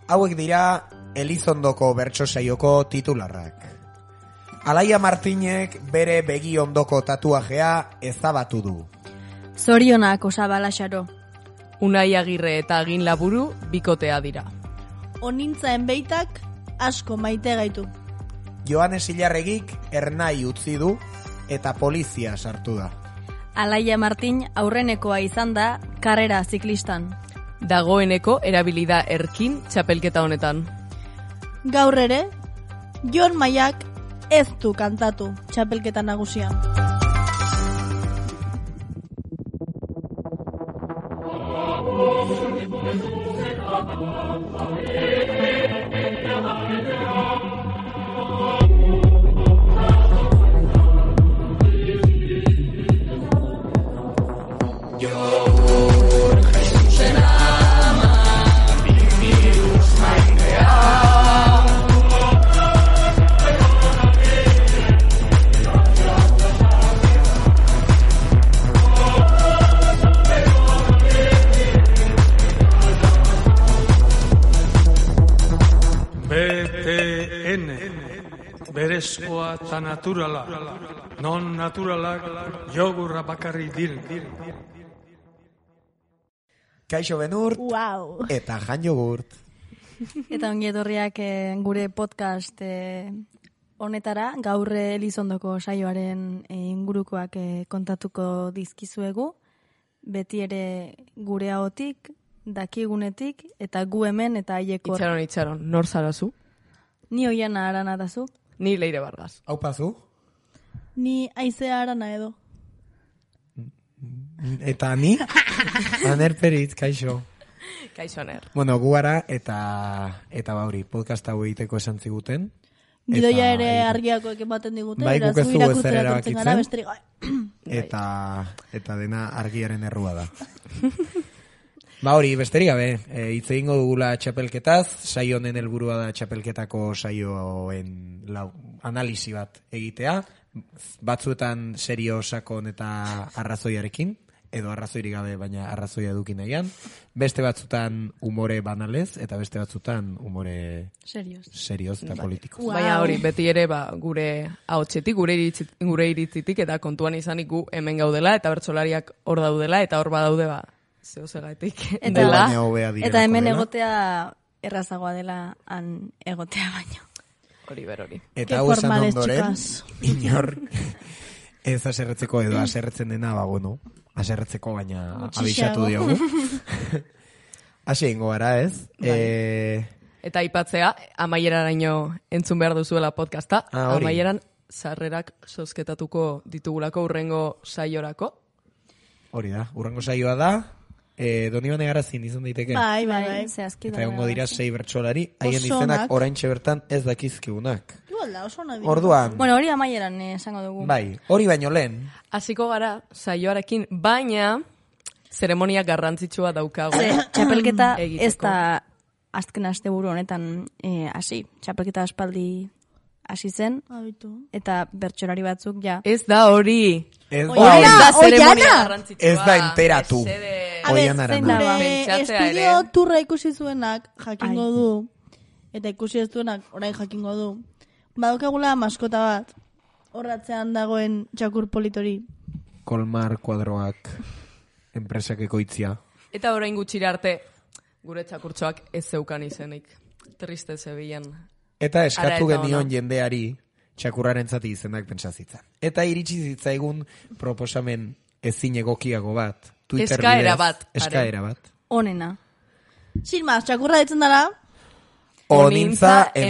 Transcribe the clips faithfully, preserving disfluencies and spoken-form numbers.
Hauek dira Elizondoko bertso saioko titularrak. Alaia Martinek bere begi ondoko tatuajea ezabatu du. Zorionak Osaba Laxaro. Unai Agirre eta Agin Laburu bikotea dira. Onintza enbeitak asko maite gaitu. Joanes Ilarregik ernai utzi du eta polizia sartu da. Alaia Martin aurrenekoa izan da karrera ziklistan. Dagoeneko erabilida erkin txapelketa honetan. Gaur ere, Jon Maiak ez du kantatu txapelketa nagusian. Berezkoa eta naturala, non naturalak jogurra bakarri dir. Kaixo Benurt wow. eta Jan Jogurt. Eta ongi etorriak eh, gure podcast eh, honetara, gaur Elizondoko saioaren eh, ingurukoak eh, kontatuko dizkizuegu, beti ere gure ahotik, dakigunetik, eta gu hemen eta haiekor. Itxaron, itxaron, nor zarazu? Ni Oiana Arana dazu. Ni Leire Vargas. Aupazu. Ni Aizea Arana edo. Eta ni? Aner Peritz, kaixo. Kaixo Aner. Bueno, gu gara eta, eta bauri, podcast hau egiteko esan ziguten. Gidoia ere argiako ematen digute. Bai, guk ez dugu ezer erabakitzen. Besterik Eta, eta dena argiaren errua da. Ba hori, besterik gabe, e, hitz egingo dugula txapelketaz, saio honen helburua da txapelketako saioen lau, analisi bat egitea, batzuetan serio sakon eta arrazoiarekin, edo arrazoirik gabe, baina arrazoia eduki nahian, beste batzutan umore banalez, eta beste batzutan umore serioz, serioz eta politikoz. Wow. Baina hori, beti ere ba, gure ahotsetik, gure, iritzit, gure iritzitik, eta kontuan izanik gu hemen gaudela, eta bertsolariak hor daudela, eta hor badaude ba, zeo segatik. Eta, eta hemen dela. egotea errazagoa dela han egotea baino. Hori ber hori. Eta hau esan ondoren, inor ez aserretzeko edo aserretzen dena, ba bueno, aserretzeko baina abisatu diogu. Hasi ingo gara, ez? E... Eta aipatzea, amaieraraino entzun behar duzuela podcasta, ah, amaieran sarrerak zozketatuko ditugulako urrengo saiorako. Hori da, urrengo saioa da, e, Donibane Garazin izan daiteke. Bai, bai, bai. Zehazki Eta egongo dira sei bertsolari, haien izenak oraintxe bertan ez dakizkigunak. Igual da, oso nahi. Orduan, Bueno, hori amaieran eh, esango dugu. bai, hori baino lehen, Hasiko gara saioarekin, baina zeremonia garrantzitsua daukagu. Ze, txapelketa egiteko. ez da azken asteburu honetan eh, hasi. Txapelketa aspaldi hasi zen, Abitu. eta bertsolari batzuk ja. Ez da hori. ez da Oiana, hori. Ez da zeremonia Oiana! garrantzitsua. Ez da enteratu. Mesede. A ber, Oian zein Arana. da, Pentsatzea estudio ere. turra ikusi zuenak jakingo Ai. du, eta ikusi ez duenak orain jakingo du. Badokagula maskota bat, horratzean dagoen txakur politori. Kolmar kuadroak enpresak ekoitzia. Eta orain gutxira arte, gure txakurtxoak ez zeukan izenik. Triste zebilen. Eta Ara eskatu eta genion ona. jendeari txakurraren zati izenak pentsazitzen. Eta iritsi zitzaigun proposamen ezin egokiago bat. Twitter Eskaera bidez, bat, are. Eskaera bat. Onena. Sin maz, txakurra ditzen dara, Onintza Onintza enbeita.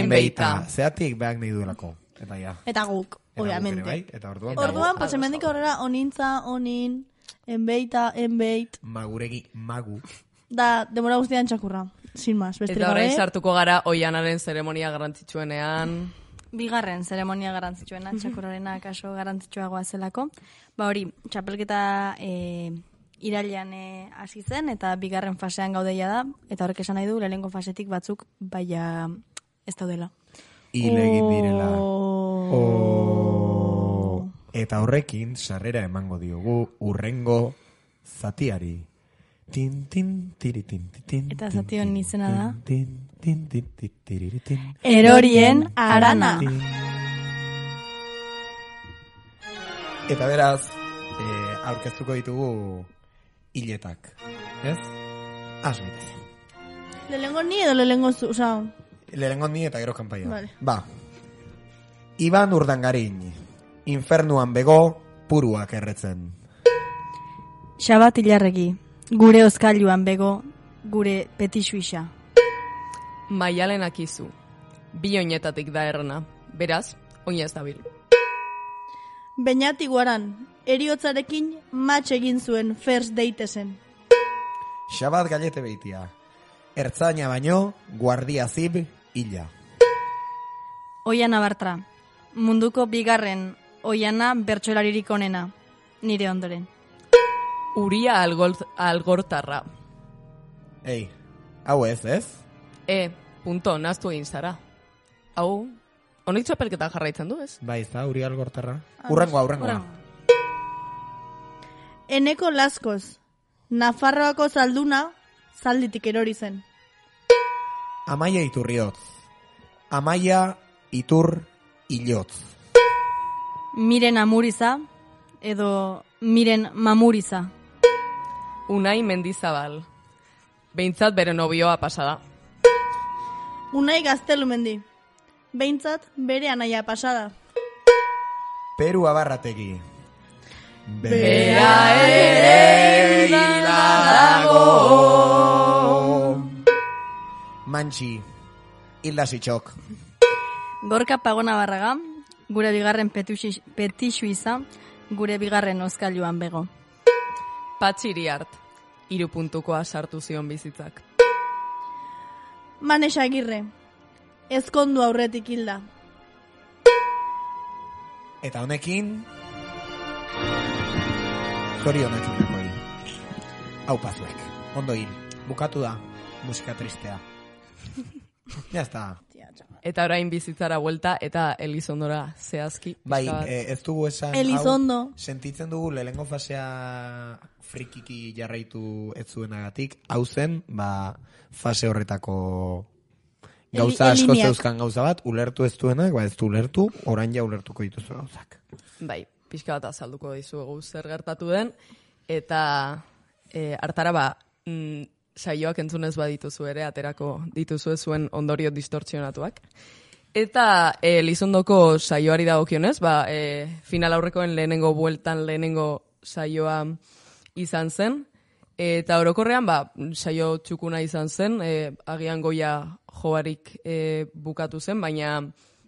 enbeita. Zeatik behak nahi duelako. Eta ja. eta guk, Eta guk ere, obviamente. bai? Eta orduan, Orduan, Ados, pues hemendik aurrera, onintza, onin, enbeita, enbeit, maguregi magu. da, demora guztian txakurra. Sin maz, besterik Eta orain gabe. sartuko gara Oianaren zeremonia garrantzitsuenean. Bigarren zeremonia garrantzitsuena, txakurrarena kaso garrantzitsuagoa zelako. Ba hori, txapelketa e, irailean e, hasi zen, eta bigarren fasean gaudeia da, eta horrek esan nahi du, lehenengo fasetik batzuk baina ez daudela. Hil egin direla. Oh. Oh. Eta horrekin, sarrera emango diogu urrengo zatiari. Tin, tin, tiri, tin, tin, Eta zati hon izena da. tin, tin, tin, tin, tiriri, tin. Erorien arana. Tin. Eta beraz, eh, aurkeztuko ditugu hiletak, ez? Has gaitezen. Lehengo ni edo lehengo zu, oza... Lehenengo ni eta gero kanpaia. Vale. Ba. Iban Urdangarin, infernuan bego, puruak erretzen. Xabat Ilarregi, gure oskailuan bego, gure petixuisa. Maialen Akizu, bi oinetatik da errena, beraz, oinez dabil. Beñat Iguaran, eriotzarekin match egin zuen first date zen. Xabat Gallete Beitia, ertzaina baino, guardia zib, hila. Oiana Bartra, munduko bigarren oiana bertsolaririk onena, nire ondoren. Uria algort, algortarra. Ei, hau ez, ez? E, punto, naztu egin zara. Hau, honik txapelketa jarraitzen du, ez? Bai, ez da, Urial Gorterra. Urrengoa, urrengoa. Eneko Laskoz, Nafarroako zalduna, zalditik erori zen. Amaia Iturriotz. Amaia Itur Ilotz. Miren Amuriza, edo Miren Mamuriza. Unai Mendizabal. Behintzat bere nobioa pasada. Unai Gaztelumendi, behintzat bere anaia pasada. Peru Abarrategi. Bera ere dago. Mantxi. Hilda Sitxok. Gorka Pagona Barraga, gure bigarren petuxi- petixuiza, gure bigarren oskailuan bego. Patxi Iriart, hiru puntukoa sartu zion bizitzak. Manes Agirre, ezkondu aurretik hilda. Eta honekin... Zorionak indakoi. Hau pazuek. Ondo hil. Bukatu da. Musika tristea. Ya está. Eta orain bizitzara buelta eta Elizondora zehazki. Bai, pixka bat. eh, ez dugu esan... Elizondo. hau, sentitzen dugu lehenengo fasea frikiki jarraitu ez zuenagatik. Hau zen, ba, fase horretako gauza Eli- asko elineak. zeuzkan gauza bat, ulertu ez duenak, ba ez du ulertu, orain ja ulertuko dituzu gauzak. Bai, pixka bat azalduko dizuegu zer gertatu den, eta e, hartara ba, mm, saioak entzunez badituzu ere, aterako dituzu zuen ondorio distortzionatuak. Eta e, Elizondoko saioari dagokionez, ba, e, final aurrekoen lehenengo bueltan lehenengo saioa izan zen, eta orokorrean ba, saio txukuna izan zen, e, agian goia joarik e, bukatu zen, baina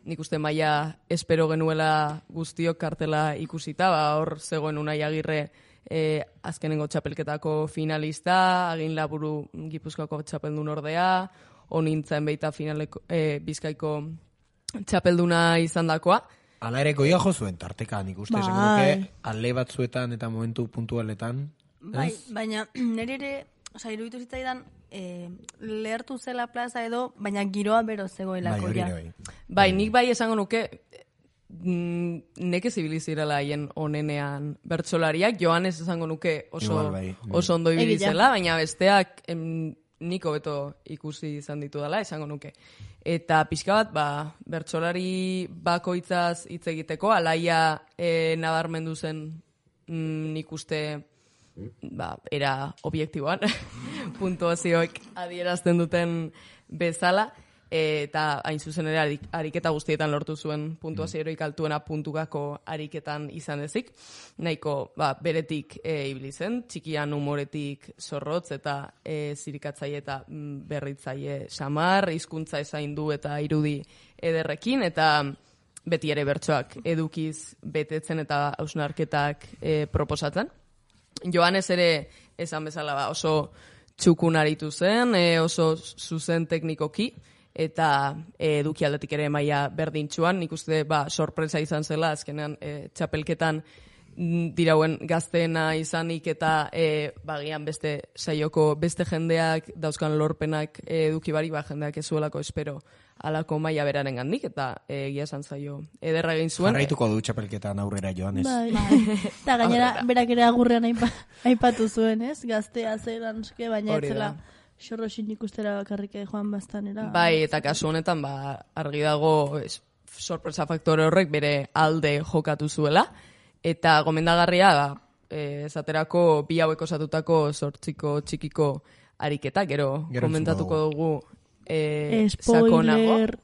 nik uste maila espero genuela guztiok kartela ikusita, ba, hor zegoen Unai Agirre e, azkenengo txapelketako finalista, agin laburu Gipuzkoako txapeldun ordea, honintzen beita finaleko, e, Bizkaiko txapelduna izan dakoa. Hala ere goia jo zuen tarteka, nik uste Bai. esango nuke alde batzuetan eta momentu puntualetan. Bai, baina nire ere, oza, iruditu zitzaidan, e, lehertu zela plaza edo, baina giroa bero Bai, zegoelako hori ja. ere bai. Bai, nik bai esango nuke, mm, nekez ibilizirela haien onenean bertsolariak, Joanes esango nuke oso, Igual bai, bai. oso ondo Egia. ibilizela, baina besteak em, nik hobeto ikusi izan ditu dela, esango nuke. Eta pixka bat, ba, bertsolari bakoitzaz hitz egiteko, alaia e, nabarmendu zen mm, nik uste ba, era objektiboan, puntuazioek adierazten duten bezala, eta hain zuzen ere arik, ariketa guztietan lortu zuen puntuazio heroik altuena puntukako ariketan izan ezik. Nahiko ba, beretik e, ibili zen, txikian umoretik zorrotz eta e, zirikatzaile eta mm, berritzaile samar, hizkuntza ezaindu eta irudi ederrekin, eta beti ere bertsoak edukiz betetzen eta hausnarketak e, proposatzen. Joanes ere esan bezala ba, oso txukun aritu zen, e, oso zuzen teknikoki, eta e, eduki aldetik ere maila berdintxuan, nik uste ba, sorpresa izan zela, azkenean e, txapelketan dirauen gazteena izanik eta e, bagian beste saioko beste jendeak dauzkan lorpenak eduki bari, ba, jendeak ez zuelako espero alako maila beraren gandik, eta egia esan zaio ederra egin zuen. Jarraituko du txapelketan aurrera joan, ez? Bai. Eta gainera, berak ere agurrean aipa, aipatu zuen, ez? Gaztea zelan, baina Hori etzela da. xorroxin ikustera bakarrik joan bastanera. Bai, eta kasu honetan, ba, argi dago es, sorpresa faktore horrek bere alde jokatu zuela, eta gomendagarria, ba, e, esaterako bi hauek osatutako sortziko txikiko ariketa, gero, Gero komentatuko entzungo dugu e, Spoiler.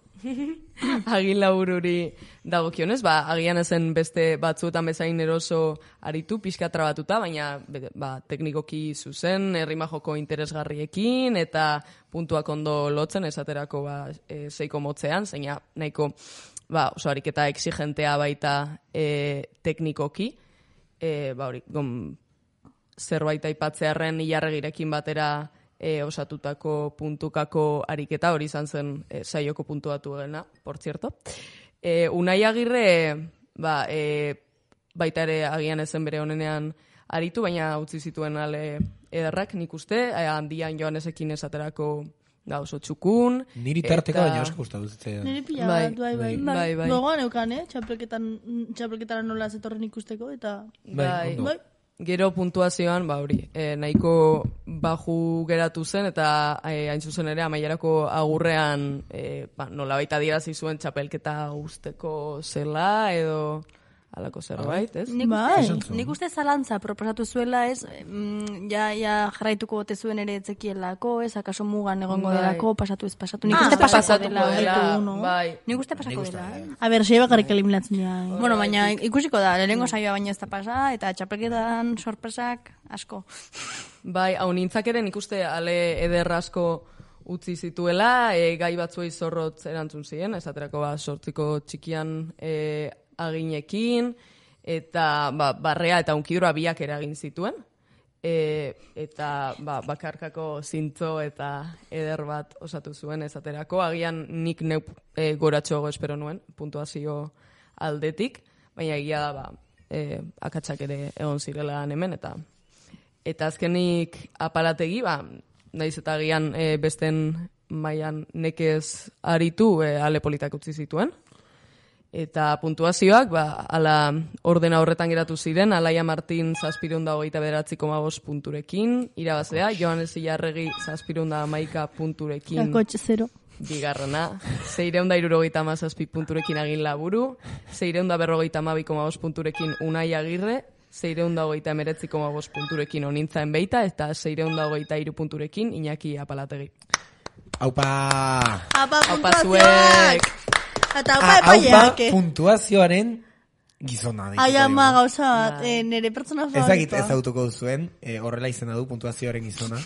Agila bururi dagokionez, ba, agian ezen beste batzuetan bezain eroso aritu, pixka trabatuta, baina ba, teknikoki zuzen, herrima joko interesgarriekin, eta puntuak ondo lotzen, esaterako ba, e, seiko motzean, zeina nahiko ba, oso ariketa exigentea baita e, teknikoki, e, ba, hori, gom, zerbait aipatzearren ilarregirekin batera E, osatutako puntukako ariketa, hori izan zen e, saioko puntuatu egena, por cierto. E, Unai Agirre, ba, e, baita ere agian ezen bere honenean aritu, baina utzi zituen ale ederrak nik uste, e, handian Joanesekin esaterako ga oso txukun. Niri tarteko eta- baina asko gustatu zitzaidan. Niri pila Bai, bat, bai, bai. bai, bai. Gogoan eukan, eh? Txapelketan, txapelketara nola zetorren ikusteko, eta... Bai, ondo. Bai, Gero puntuazioan, ba hori, e, nahiko baju geratu zen, eta e, hain zuzen ere amaierako agurrean e, ba, nolabait adierazi zuen txapelketa usteko zela, edo halako zerbait, ez? Nik, Bai. uste, nik uste zalantza proposatu zuela, ez, mm, ja, ja jarraituko bote zuen ere etzekielako, ez, akaso mugan egongo Bai. delako, pasatu ez pasatu. Nik Ah, uste pasako Pasatuko dela. dela, gaitu uno. bai. Nik uste pasako Nik uste, dela. eh. eh. A ber, sei bakarrik eliminatzen dira. eh? Bueno, baina ikusiko da, lehenengo saioa baina ez da pasa, eta txapelketan sorpresak asko. Bai, hau nintzak ere nik uste ale eder asko utzi zituela, e, gai batzuei zorrotz erantzun ziren, esaterako ba, sortziko txikian e, aginekin, eta ba, barrea eta unkidura biak ere egin zituen, e, eta ba, bakarkako zintzo eta eder bat osatu zuen esaterako, agian nik neu e, goratxoago espero nuen, puntuazio aldetik, baina egia da, ba, e, akatsak ere egon zirela hemen, eta eta azkenik aparategi, ba, naiz eta agian e, besten mailan nekez aritu e, ale politak utzi zituen. Eta puntuazioak, ba, ala ordena horretan geratu ziren, Alaia Martin zazpireunda hogeita bederatzi koma bost punturekin, irabazlea, Joanes Ilarregi zazpireunda hamaika punturekin, Kakotxe zero. bigarrena, seireunda irurogeita hamazazpi punturekin Agin Laburu, seireunda berrogeita hamabi koma bost punturekin Unai Agirre, seireunda hogeita emeretzi koma bost punturekin Onintzaen Beita, eta seireunda hogeita hiru punturekin Iñaki Apalategi. Aupa! Apa, Aupa puntuazioak! zuek! Eta Ah, aupa Aupa epaileak, eh? puntuazioaren gizona. Ai, deituko ama, diogu. gauza bat, eh, nire pertsona Ez dakit ez favoritoa. autuko zuen, eh, horrela izena du puntuazioaren gizona.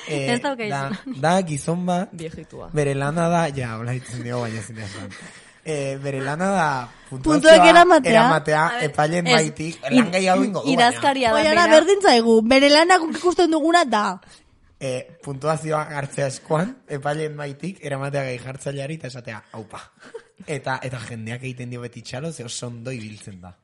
Eh, Ez dauka da, izena. da gizon bat, Viejitua. bere lana da, ja, hola ditzen dio, baina zine esan. Eh, bere lana da Puntuak puntuazioa eramatea. eramatea epailen Ez, maitik, lan gehiago ingo du, baina. Idazkaria da, Oiara, bera. berdin zaigu, bere lanak ikusten duguna da. Eh, puntuazioa hartzea eskuan, epailen maitik, eramatea gehi jartzaileari eta esatea, aupa. Eta, eta jendeak egiten dio beti txalo, ze oso ondo ibiltzen da.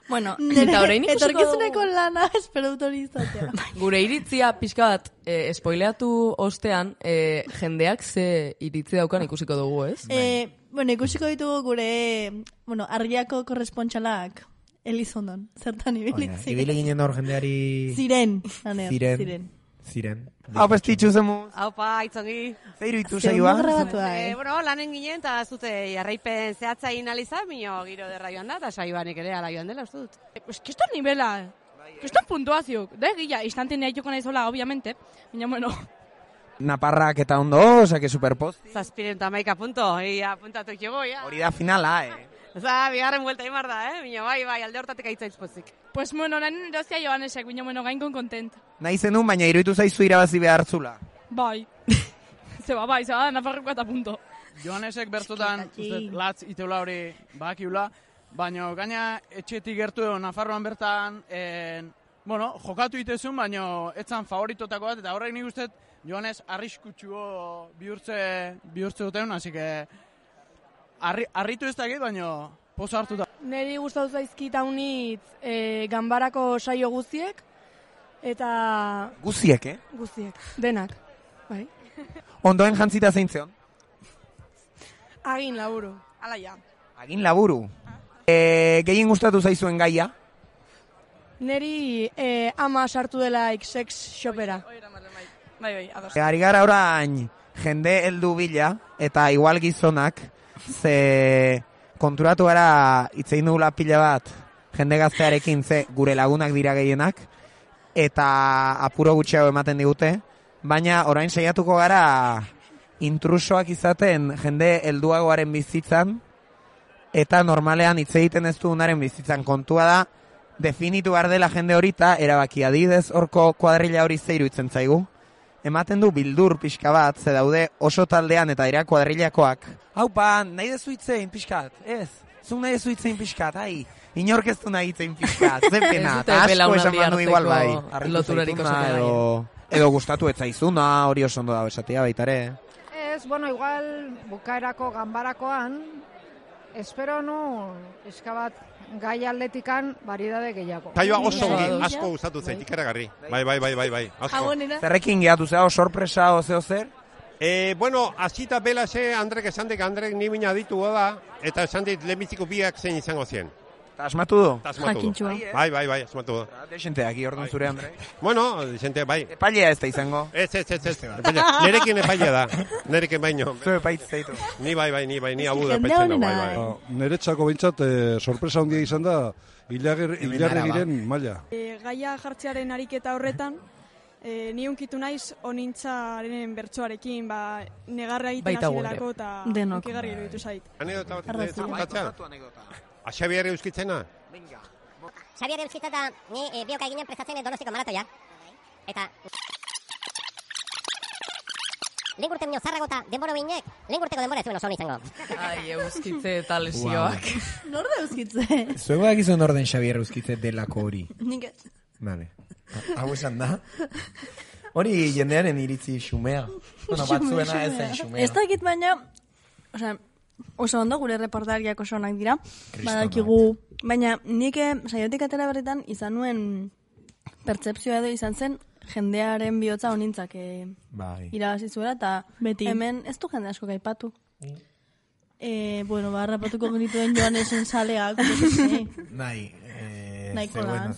Bueno, Eta orain ikusiko Etorkizuneko dugu. lana, espero dut hori izatea. Gure iritzia pixka bat, eh, spoileatu ostean, eh, jendeak ze iritzi daukan ikusiko dugu, ez? Eh, bueno, ikusiko ditugu gure, bueno, argiako korrespontxalak Elizondon, zertan ibili Oina, ziren. ibile ginen hor jendeari... Ziren, lanean, Ziren. ziren. Ziren. Hau pestitxu zemu. Haupa, itzongi. Zeiru itu Ze saioa. ondo grabatua, E, eh? bueno, lanen ginen, eta zute jarraipen zehatza inalizan, mino giro derra joan da, eta saioanek ere ala joan dela, uste dut. Pues que esto nivela, que esto puntuazio, de gila, instantenea joko naizola, obviamente, baina bueno, Naparrak eta ondo, osea que superpost. Zazpiren tamaika punto, ia puntatu jo, ja. Hori da finala, eh. Oza, bigarren buelta imar da, eh? Mino, bai, bai, alde hortatik aitzaitz pozik. pues bueno, nanen erozia Joanesek, baina bueno, gainkon kontent. Nahi zenun, baina iruditu zaizu irabazi behartzula. Bai. Zeba, bai, zeba, nafarroko eta punto. Joanesek bertotan, uste, latz iteula hori bakiula, baina gaina etxetik gertu edo Nafarroan bertan, en, bueno, jokatu itezun, baina etzan favoritotako bat, eta horrek nik uste Joanes arriskutsuo bihurtze, bihurtze duten, hasi que arri, arritu ez dakit, baina poza hartuta. Neri gustatu zaizkit haunitz e, ganbarako saio guztiek, eta... Guziek, eh? Guztiek, denak, bai. Ondoen jantzita zeintzeon? Agin laburu, ala ja. Agin laburu. E, gehien gustatu zaizuen gaia? Neri e, ama sartu delaik sex shopera. Bai, bai, ados. E, ari gara orain jende heldu bila, eta igual gizonak, ze konturatu gara itzein dugula pila bat jende gaztearekin, ze gure lagunak dira gehienak, eta apuro gutxiago ematen digute, baina orain saiatuko gara intrusoak izaten jende helduagoaren bizitzan, eta normalean hitz egiten ez dugunaren bizitzan. Kontua da, definitu behar dela jende hori eta erabaki adidez horko kuadrilla hori zeiru itzen zaigu. Ematen du bildur pixka bat, ze daude oso taldean eta dira kuadrillakoak. Haupa, nahi dezu itzein pixkat, ez? Zuk nahi dezu itzein pixkat, ai, inork ez du nahi itzein pixkat, ze pena, eta asko esan manu igual bai. Loturarik oso edo, edo gustatu ez zaizuna, hori oso ondo da besatia baitare. Ez, bueno, igual bukaerako ganbarakoan, espero nu, eska bat, gai atletikan baridade gehiago. Taioa oso ongi, asko gustatu zait, ikaragarri. Bai, bai, bai, bai, bai, asko. Zerrekin gehatu zeo, sorpresa o zeo zer? Eh, bueno, azita bela ze Andrek esan dek, Andrek ni bina ditu da, eta esan dit lehenbiziko biak zein izango zien. Ta asmatu du? Ta asmatu du. Bai, bai, bai, asmatu du. Dexenteak, iordun zure, Andre? Bueno, dexente, bai. Epailea ez da izango? Ez, ez, ez, ez. Nerekin epailea da. Nerekin baino. Zu epaitz zaitu. Ni bai, bai, ni bai, ni abu da epaitzen da, bai, bai. Neretzako behintzat, eh, sorpresa handia izan da, hilarregiren maila. E, gaia jartzearen ariketa horretan, e, ni unkitu naiz onintzaren bertsoarekin, ba, negarra egiten hasi delako eta unkigarri iruditu zait. Anekdota bat kontatzea? A Xabier euskitzena? Venga. Xabier euskitzeta, ni e, bioka eginen prestatzen Donostiko maratoia. Eta... Lehen urte minio zarrago eta denbora behinek, lehen urteko denbora ez zuen oso honi izango. Ai, euskitze eta lesioak. Wow. Norde euskitze? Zuego dakizuen orden Xabier euskitze delako hori. Nik ez. Vale. Hau esan da? Hori jendearen iritzi xumea. Bueno, batzuena ez zen xumea. Ez dakit baina, osea, oso ondo gure reportariak oso onak dira. Badakigu, baina nik saiotik atera berritan izan nuen pertzepzioa edo izan zen jendearen bihotza honintzak e, bai. Irabazi zuela, eta beti hemen ez du jende asko gaipatu. Mm. E, bueno, ba, rapatuko genituen Joanesen saleak. Nahi, nahiko da.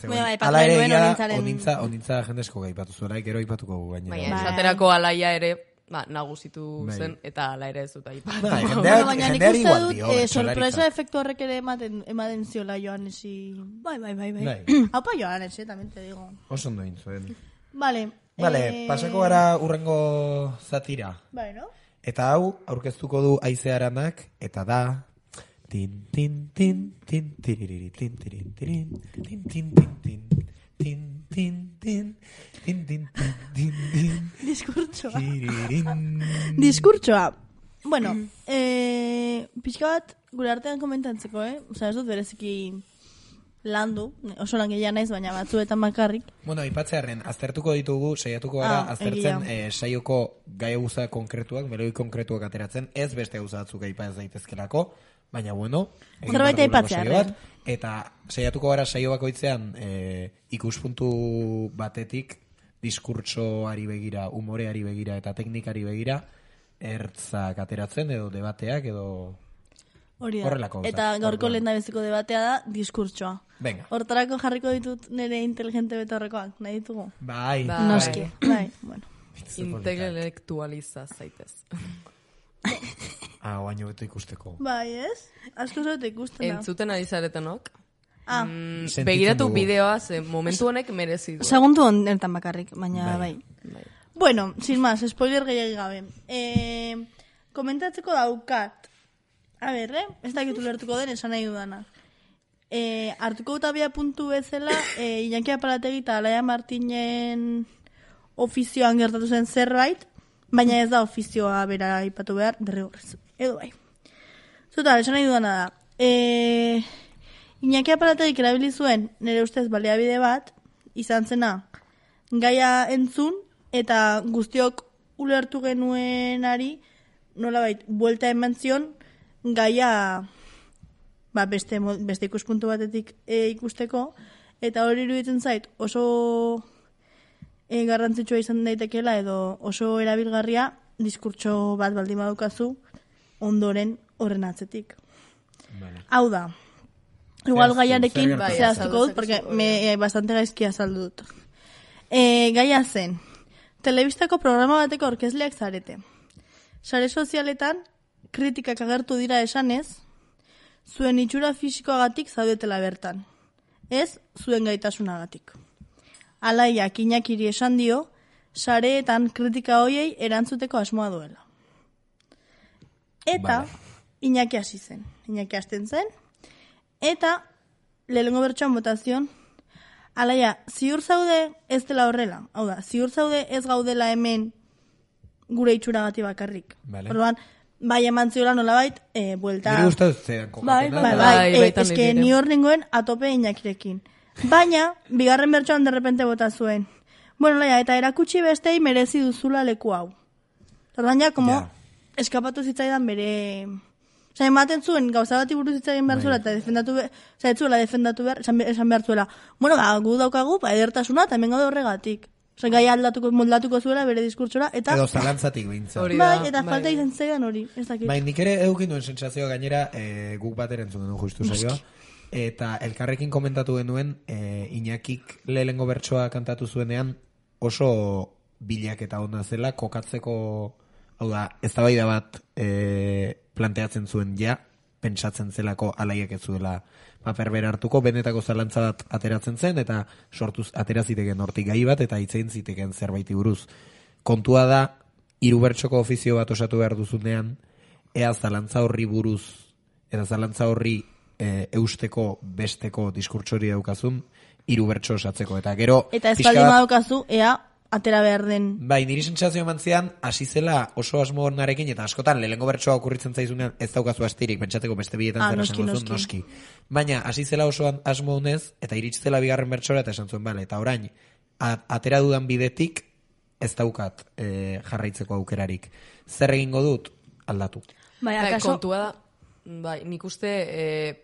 Ala ere egia onintza, onintza jende asko gaipatu zuela, gero aipatuko gu gainera. Baina, esaterako alaia ere, ba, nagusitu zen, eta ala ere ez dut aipatu. Baina nik uste dut, sorpresa efektu horrek ere ematen ziola Joanesi. Bai, bai, bai, bai. Haupa Joanesi, también te digo. Oso ondo intzuen. Vale. Vale, eh... pasako gara urrengo zatira. Bai, no? Eta hau, aurkeztuko du Aizearanak, eta da... Tin, tin, tin, tin, tiririri, tin, tirin, tirin, tin, tin, tin, tin, tin, tin, tin, tin, tin, tin, tin, diskurtsoa. Diskurtsoa. Bueno, eh, pixka bat gure artean komentatzeko, eh? Osa, ez dut bereziki... landu, oso lan gehiago naiz, baina batzuetan bakarrik. Bueno, aipatzearren, aztertuko ditugu, saiatuko gara, ah, aztertzen eh, saioko gai gauza konkretuak, meloi konkretuak ateratzen, ez beste gauza batzuk aipa ez daitezkelako, baina bueno, zerbait aipatzearren. Eta saiatuko gara saio bakoitzean eh, ikuspuntu batetik, diskurtsoari begira, umoreari begira eta teknikari begira, ertzak ateratzen edo debateak edo... Hori da, eta gaurko lehen da beziko debatea da diskurtsoa. Venga. Hortarako jarriko ditut nire inteligente betorrekoak, nahi ditugu? Bai. Noski, bai, bueno. Intelektualiza zaitez. Ah, baino beto ikusteko. Bai, ez? Asko zote ikusten da. Entzuten ari zaretenok. Ah. Mm, begiratu bideoa, ze momentu honek merezi du. Segundu honetan bakarrik, baina bai. bai. Bueno, sin más, spoiler gehiagik gabe. Eh, komentatzeko daukat. A ber, eh? Ez dakitu lertuko den, esan nahi dudana. E, hartuko gutabia puntu bezala, e, Iñaki Apalategi eta Alaia Martinen ofizioan gertatu zen zerbait, baina ez da ofizioa bera aipatu behar, derrigorrez. Edo bai. Zuta, esan nahi dudana da. E, Iñaki Apalategi erabili zuen, nire ustez baliabide bat, izan zena, gaia entzun, eta guztiok ulertu genuenari, nolabait, buelta eman zion, gaia ba, beste, beste ikuspuntu batetik e, ikusteko, eta hori iruditzen zait oso e, garrantzitsua izan daitekela edo oso erabilgarria diskurtso bat baldin badukazu ondoren horren atzetik. Vale. Hau da, igual gaiarekin zehaztuko dut, porque me eh, bastante gaizki azaldu dut. E, gaia zen, telebistako programa bateko orkezleak zarete. Sare sozialetan, kritikak agertu dira esanez, zuen itxura fisikoagatik zaudetela bertan. Ez, zuen gaitasunagatik. Alaiak Iñakiri esan dio, sareetan kritika hoiei erantzuteko asmoa duela. Eta, vale. Iñaki hasi zen. Iñaki hasten zen. Eta, lehengo bertsoan botazion, alaia, ziur zaude ez dela horrela. Hau da, ziur zaude ez gaudela hemen gure itxuragati bakarrik. Vale. Orduan, bai eman ziola nolabait, e, buelta... Nire guztatu zean kokatu. Bai, bai, bai, bai, eske ni hor nengoen atope Iñakirekin. Baina, bigarren bertsoan derrepente bota zuen. Bueno, laia, eta erakutsi bestei merezi duzula leku hau. Orduan ja, como, yeah. eskapatu zitzaidan bere... Osa, ematen zuen, gauza bat buruz zitzaidan behar zuela, eta defendatu behar, osa, ez zuela defendatu behar, esan, esan behar zuela. Bueno, ba, gu daukagu, ba, edertasuna, eta hemen gaude horregatik. Osa, gai aldatuko, moldatuko zuela bere diskurtsora, eta... Edo zalantzatik behintzat. Bai, eta bai. Falta izan zeidan hori, ez dakit. Bai, nik ere edukin duen sentsazioa gainera, e, guk bat erentzun genuen justu zaioa. Eta elkarrekin komentatu genuen, e, Iñakik lehengo bertsoa kantatu zuenean, oso bilak eta onda zela, kokatzeko, hau da, eztabaida bat e, planteatzen zuen ja, pentsatzen zelako alaiak ez zuela paper bera hartuko, benetako zalantza bat ateratzen zen, eta sortuz atera ziteken hortik gai bat, eta hitzein ziteken zerbaiti buruz. Kontua da, hiru bertsoko ofizio bat osatu behar duzunean, ea zalantza horri buruz, eta zalantza horri e, eusteko besteko diskurtsori daukazun, hiru bertso osatzeko, eta gero... Eta ez baldin daukazu, ea atera behar den... Bai, niri sentsazio eman zian, hasi zela oso asmo narekin, eta askotan, lehengo bertsoa okurritzen zaizunean, ez daukazu astirik, pentsateko beste bietan ah, zera noski, esan duzun, noski. Baina, hasi zela oso asmo honez, eta iritzela bigarren bertsora, eta esan zuen, bale, eta orain, atera dudan bidetik, ez daukat e, jarraitzeko aukerarik. Zer egingo dut? Aldatu. Bai, akaso... Kontua da, bai, nik uste... E...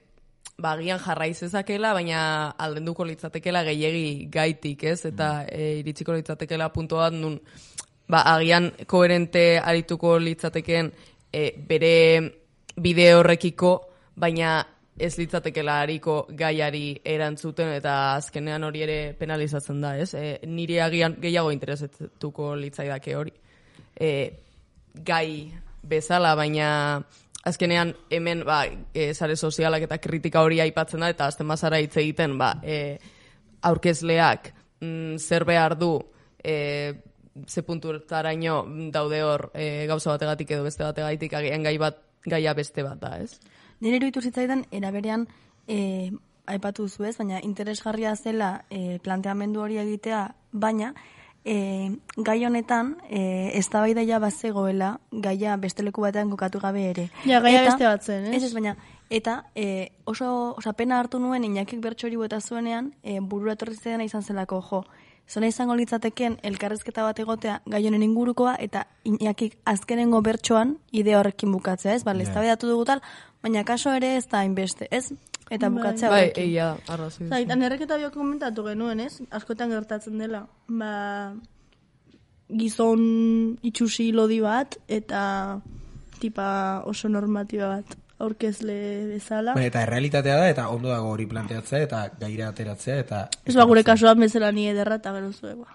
ba, agian jarraiz ezakela, baina aldenduko litzatekela gehiegi gaitik, ez? Eta e, iritsiko litzatekela punto bat nun, ba, agian koherente arituko litzateken e, bere bide horrekiko, baina ez litzatekela hariko gaiari erantzuten, eta azkenean hori ere penalizatzen da, ez? E, niri agian gehiago interesetuko litzaidake hori. E, gai bezala, baina... Azkenean, hemen, ba, e, sare sozialak eta kritika hori aipatzen da, eta azten bazara hitz egiten, ba, e, aurkezleak mm, zer behar du, e, ze punturtaraino daude hor e, gauza bategatik edo beste bategatik, agian gai bat, gaia beste bat da, ez? Nire iruditu zitzaidan, eraberean, e, aipatu duzu ez, baina interesgarria zela e, planteamendu hori egitea, baina, E, gai honetan e, eztabaida ja bazegoela gaia beste leku batean kokatu gabe ere. Ja, gaia eta, beste bat zen, ez? Ez ez, baina, eta e, oso, osa pena hartu nuen Iñakik bertso hori bota zuenean e, burura etorri zidana izan zelako, jo, zona izango litzateken elkarrezketa bat egotea gai honen ingurukoa, eta Iñakik azkenengo bertsoan idea horrekin bukatzea, ez? Bale, yeah. Eztabaidatu dugu tal, baina kaso ere ez da hainbeste, ez? Eta bukatzea bai, horrekin. Bai, egia, arrazoi. Zait, anerreketa bio komentatu genuen, ez? Askotan gertatzen dela. Ba, gizon itxusi lodi bat, eta tipa oso normatiba bat aurkezle bezala. Ba, eta errealitatea da, eta ondo dago hori planteatzea, eta gaira ateratzea, eta... Ez ba, gure kasuan bezala ni ederra, eta gero zuego.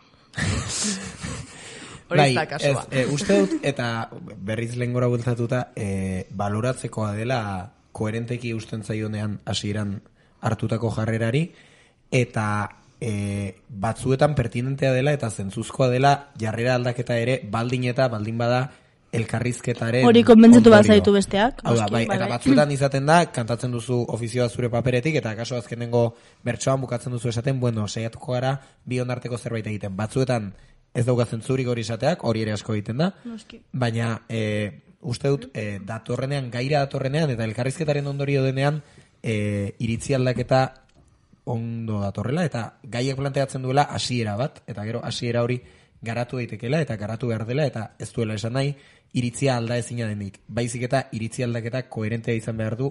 Bai, ez, e, uste dut, eta berriz lehengora bultzatuta, e, baloratzekoa dela... koherenteki usten zaionean hasieran hartutako jarrerari, eta e, batzuetan pertinentea dela eta zentzuzkoa dela jarrera aldaketa ere baldin eta baldin bada elkarrizketaren hori konbentzitu bat zaitu besteak. Hau da, bai, eta batzuetan izaten da, kantatzen duzu ofizioa zure paperetik, eta kaso azkenengo bertsoan bukatzen duzu esaten, bueno, saiatuko gara bi onarteko zerbait egiten. Batzuetan ez daukatzen zurik hori esateak, hori ere asko egiten da, Noski. Baina... E, uste dut, e, datorrenean, gaira datorrenean, eta elkarrizketaren ondorio denean, e, iritzi aldaketa ondo datorrela, eta gaiek planteatzen duela hasiera bat, eta gero hasiera hori garatu daitekela, eta garatu behar dela, eta ez duela esan nahi, iritzia alda ezina denik. Baizik eta iritzi aldaketa koherentea izan behar du,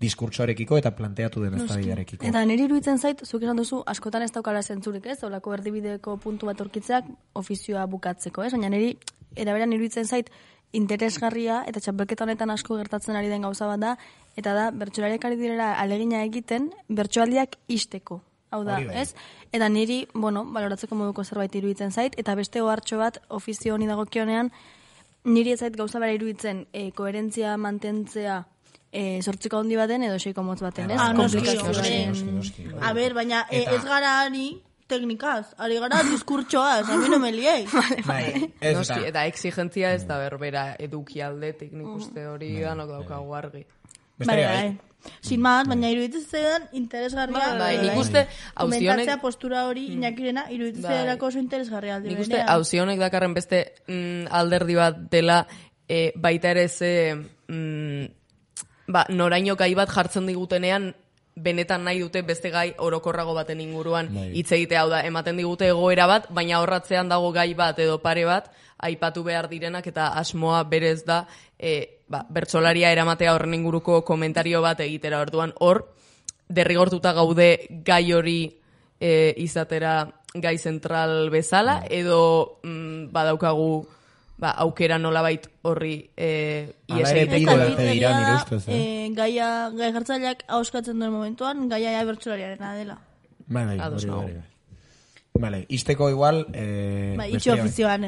diskurtsoarekiko eta planteatu den eztabaidarekiko. Eta niri iruditzen zait, zuk esan duzu, askotan ez daukala zentzurik, ez? Olako erdibideko puntu bat aurkitzeak ofizioa bukatzeko, ez? Baina niri, eraberan iruditzen zait, interesgarria eta txapelketa honetan asko gertatzen ari den gauza bat da, eta da, bertsolariak ari direla alegina egiten, bertsoaldiak isteko. Hau da, ez? Eta niri, bueno, baloratzeko moduko zerbait iruditzen zait, eta beste ohartxo bat ofizio honi dagokionean, niri ez zait gauza bera iruditzen e, koherentzia mantentzea e, sortziko handi baten edo seiko motz baten, ez? Ah, noski, noski. A ber, baina e, ez gara ari teknikaz, ari gara diskurtsoaz, a mi no me liei. Noski, eta exigentzia ez da berbera edukialdetik nik uste hori danok daukagu argi. Bai, bai. Sin más, baina iruditzen zedan interesgarria. Bai, nik uste komentatzea postura hori inakirena iruditzen zedako oso interesgarria alde. Nik uste hauzionek dakarren beste mm, alderdi bat dela e, baita ere ze mm, ba, noraino gai bat jartzen digutenean benetan nahi dute beste gai orokorrago baten inguruan hitz egitea, hau da, ematen digute egoera bat, baina horratzean dago gai bat edo pare bat aipatu behar direnak eta asmoa berez da e, ba, bertsolaria eramatea horren inguruko komentario bat egitera. Orduan hor, derrigortuta gaude gai hori e, izatera gai zentral bezala, edo mm, badaukagu ba, aukera nolabait horri e, iesaitek. Gaia, gai jartzaileak hauskatzen duen momentuan, gaia ja bertsolariarena dela. Bai, bai, hori, hori, bai. Vale, isteko igual... Eh, ba, itxo ofizioan,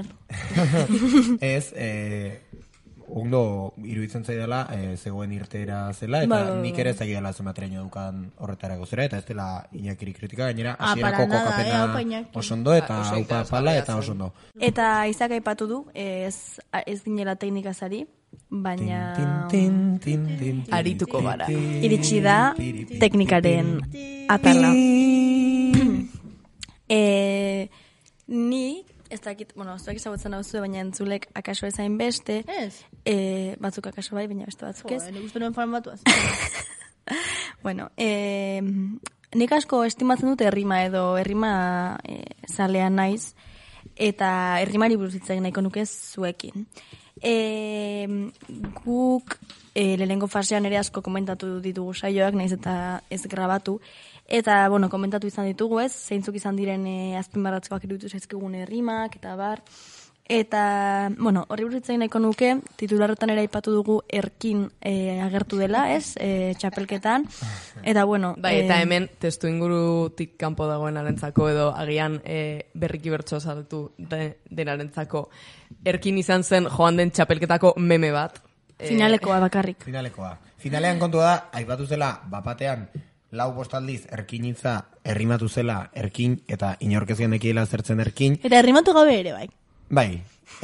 ez, eh, ondo iruditzen zaidala eh, zegoen irtera zela, eta ba, nik ere zaidala zematreño dukan horretarako zera, eta ez dela Iñakiri kritika, gainera, hasierako kokapena osondo, eta haupa pala, eta osondo. Eta Izak aipatu du, ez, ez dinela teknikazari, baina arituko gara. Iritsi da teknikaren atala. E, ni, ez dakit, bueno, zuek ezagutzen hau zuen, baina entzulek akaso ezain beste. Ez? E, batzuk akaso bai, baina beste batzuk ez. Jo, nik nuen farmatuaz. Bueno, e, nik asko estimatzen dute errima edo errima e, zalea naiz, eta errimari buruz hitz egin nahiko nuke zuekin. E, guk e, lehenengo fasean ere asko komentatu ditugu saioak, naiz eta ez grabatu, eta, bueno, komentatu izan ditugu ez, zeintzuk izan diren e, azpimarratzekoak iruditu zaizkigun errimak, eta bar. Eta, bueno, horri burutzein nahiko nuke, titularretan ere aipatu dugu erkin e, agertu dela, ez, e, txapelketan. Eta, bueno... Bai, eta hemen testu ingurutik kanpo dagoen arentzako, edo agian e, berriki bertso saltu de, denarentzako. Erkin izan zen joan den txapelketako meme bat. Finalekoa bakarrik. Finalekoa. Finalean kontua da, aipatu zela, bapatean, lau bostaldiz erkinitza errimatu zela erkin, eta inorkezien ekiela zertzen erkin. Eta errimatu gabe ere, bai. Bai,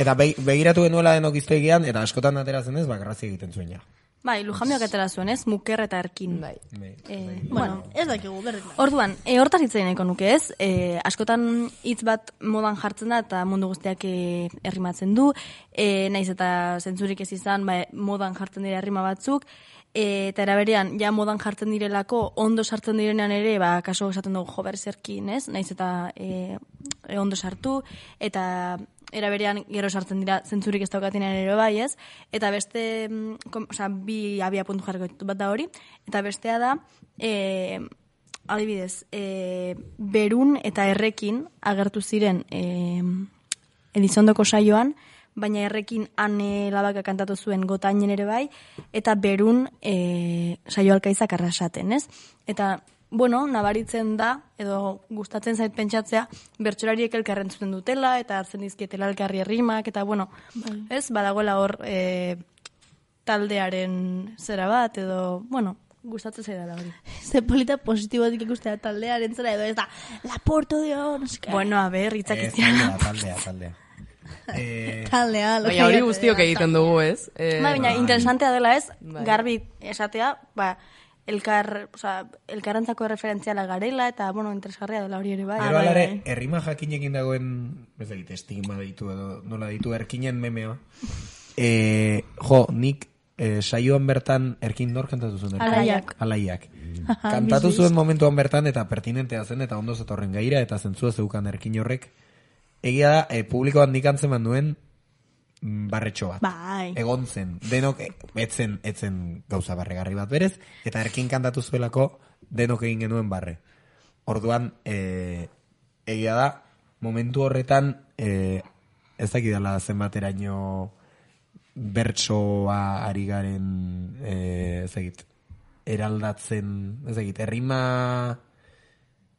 eta begiratu genuela denok iztegian, eta askotan ateratzen ez, bakarrazi egiten zuen ja. Bai, Lujamioak atera zuen ez, muker eta erkin. Bai. E, bueno, bueno, ez dakigu, berdin. Orduan, e, hortaz hitz nahiko nuke ez, e, askotan hitz bat modan jartzen da, eta mundu guztiak e, errimatzen du, e, naiz eta zentzurik ez izan, ba, modan jartzen dira errima batzuk, E, eta eraberean, ja modan jartzen direlako, ondo sartzen direnean ere, ba, kaso esaten dugu jo berzerkin, ez? Naiz eta e, e, ondo sartu, eta eraberean gero sartzen dira zentzurik ez daukatenean ere bai, ez? Eta beste, kom, oza, bi abia puntu jarriko ditu bat da hori, eta bestea da, e, adibidez, e, berun eta errekin agertu ziren e, Elizondoko saioan, baina errekin ane labaka kantatu zuen gotainen ere bai, eta berun e, saio alkaizak arrasaten, ez? Eta, bueno, nabaritzen da, edo gustatzen zait pentsatzea, bertsolariek elkarren zuten dutela, eta hartzen dizkietela elkarri errimak, eta, bueno, bai. Ez, badagoela hor e, taldearen zera bat, edo, bueno, gustatzen zaidala hori. Ze polita positibotik ikustea taldearen zera, edo ez da, Laporto dio, no sé qué. Bueno, a ver, hitzak ez taldea, taldea, taldea. Eh, Taldea, baina hori guztiok egiten dugu, ez? Eh, ba, baina interesantea dela ez, bai. Garbi esatea, ba, elkar, oza, elkarrantzako referentziala garela, eta, bueno, interesgarria dela hori ere bai. Pero alare, errima jakinekin dagoen, ez da, estigma ditu edo, nola ditu, erkinen memeo. Eh, jo, nik eh, saioan bertan erkin nor kantatu zuen? Alaiak. Alaiak. Kantatu zuen momentuan bertan, eta pertinentea zen, eta ondo zetorren gaira, eta zentzua zeukan erkin horrek. Egia da, e, publikoan nik antzeman duen, barretxo bat. Bai. Egon zen, denok etzen, etzen gauza barregarri bat berez, eta erkin kantatu zuelako denok egin genuen barre. Orduan, e, egia da, momentu horretan, e, ez dakidala zenbateraino bertsoa ari garen, e, ez dakit, eraldatzen, ez dakit, errima...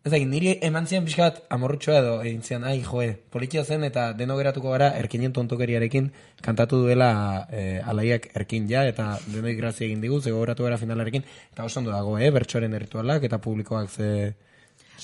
Ez dakit, niri eman zian pixka bat amorrutxoa edo, egin zian, ai, joe, politia zen eta deno geratuko gara erkinen tontokeriarekin kantatu duela e, alaiak erkin ja, eta denoi grazia egin digu, zego geratu gara finalarekin, eta oso ondo dago, eh, bertsoaren erritualak, eta publikoak ze...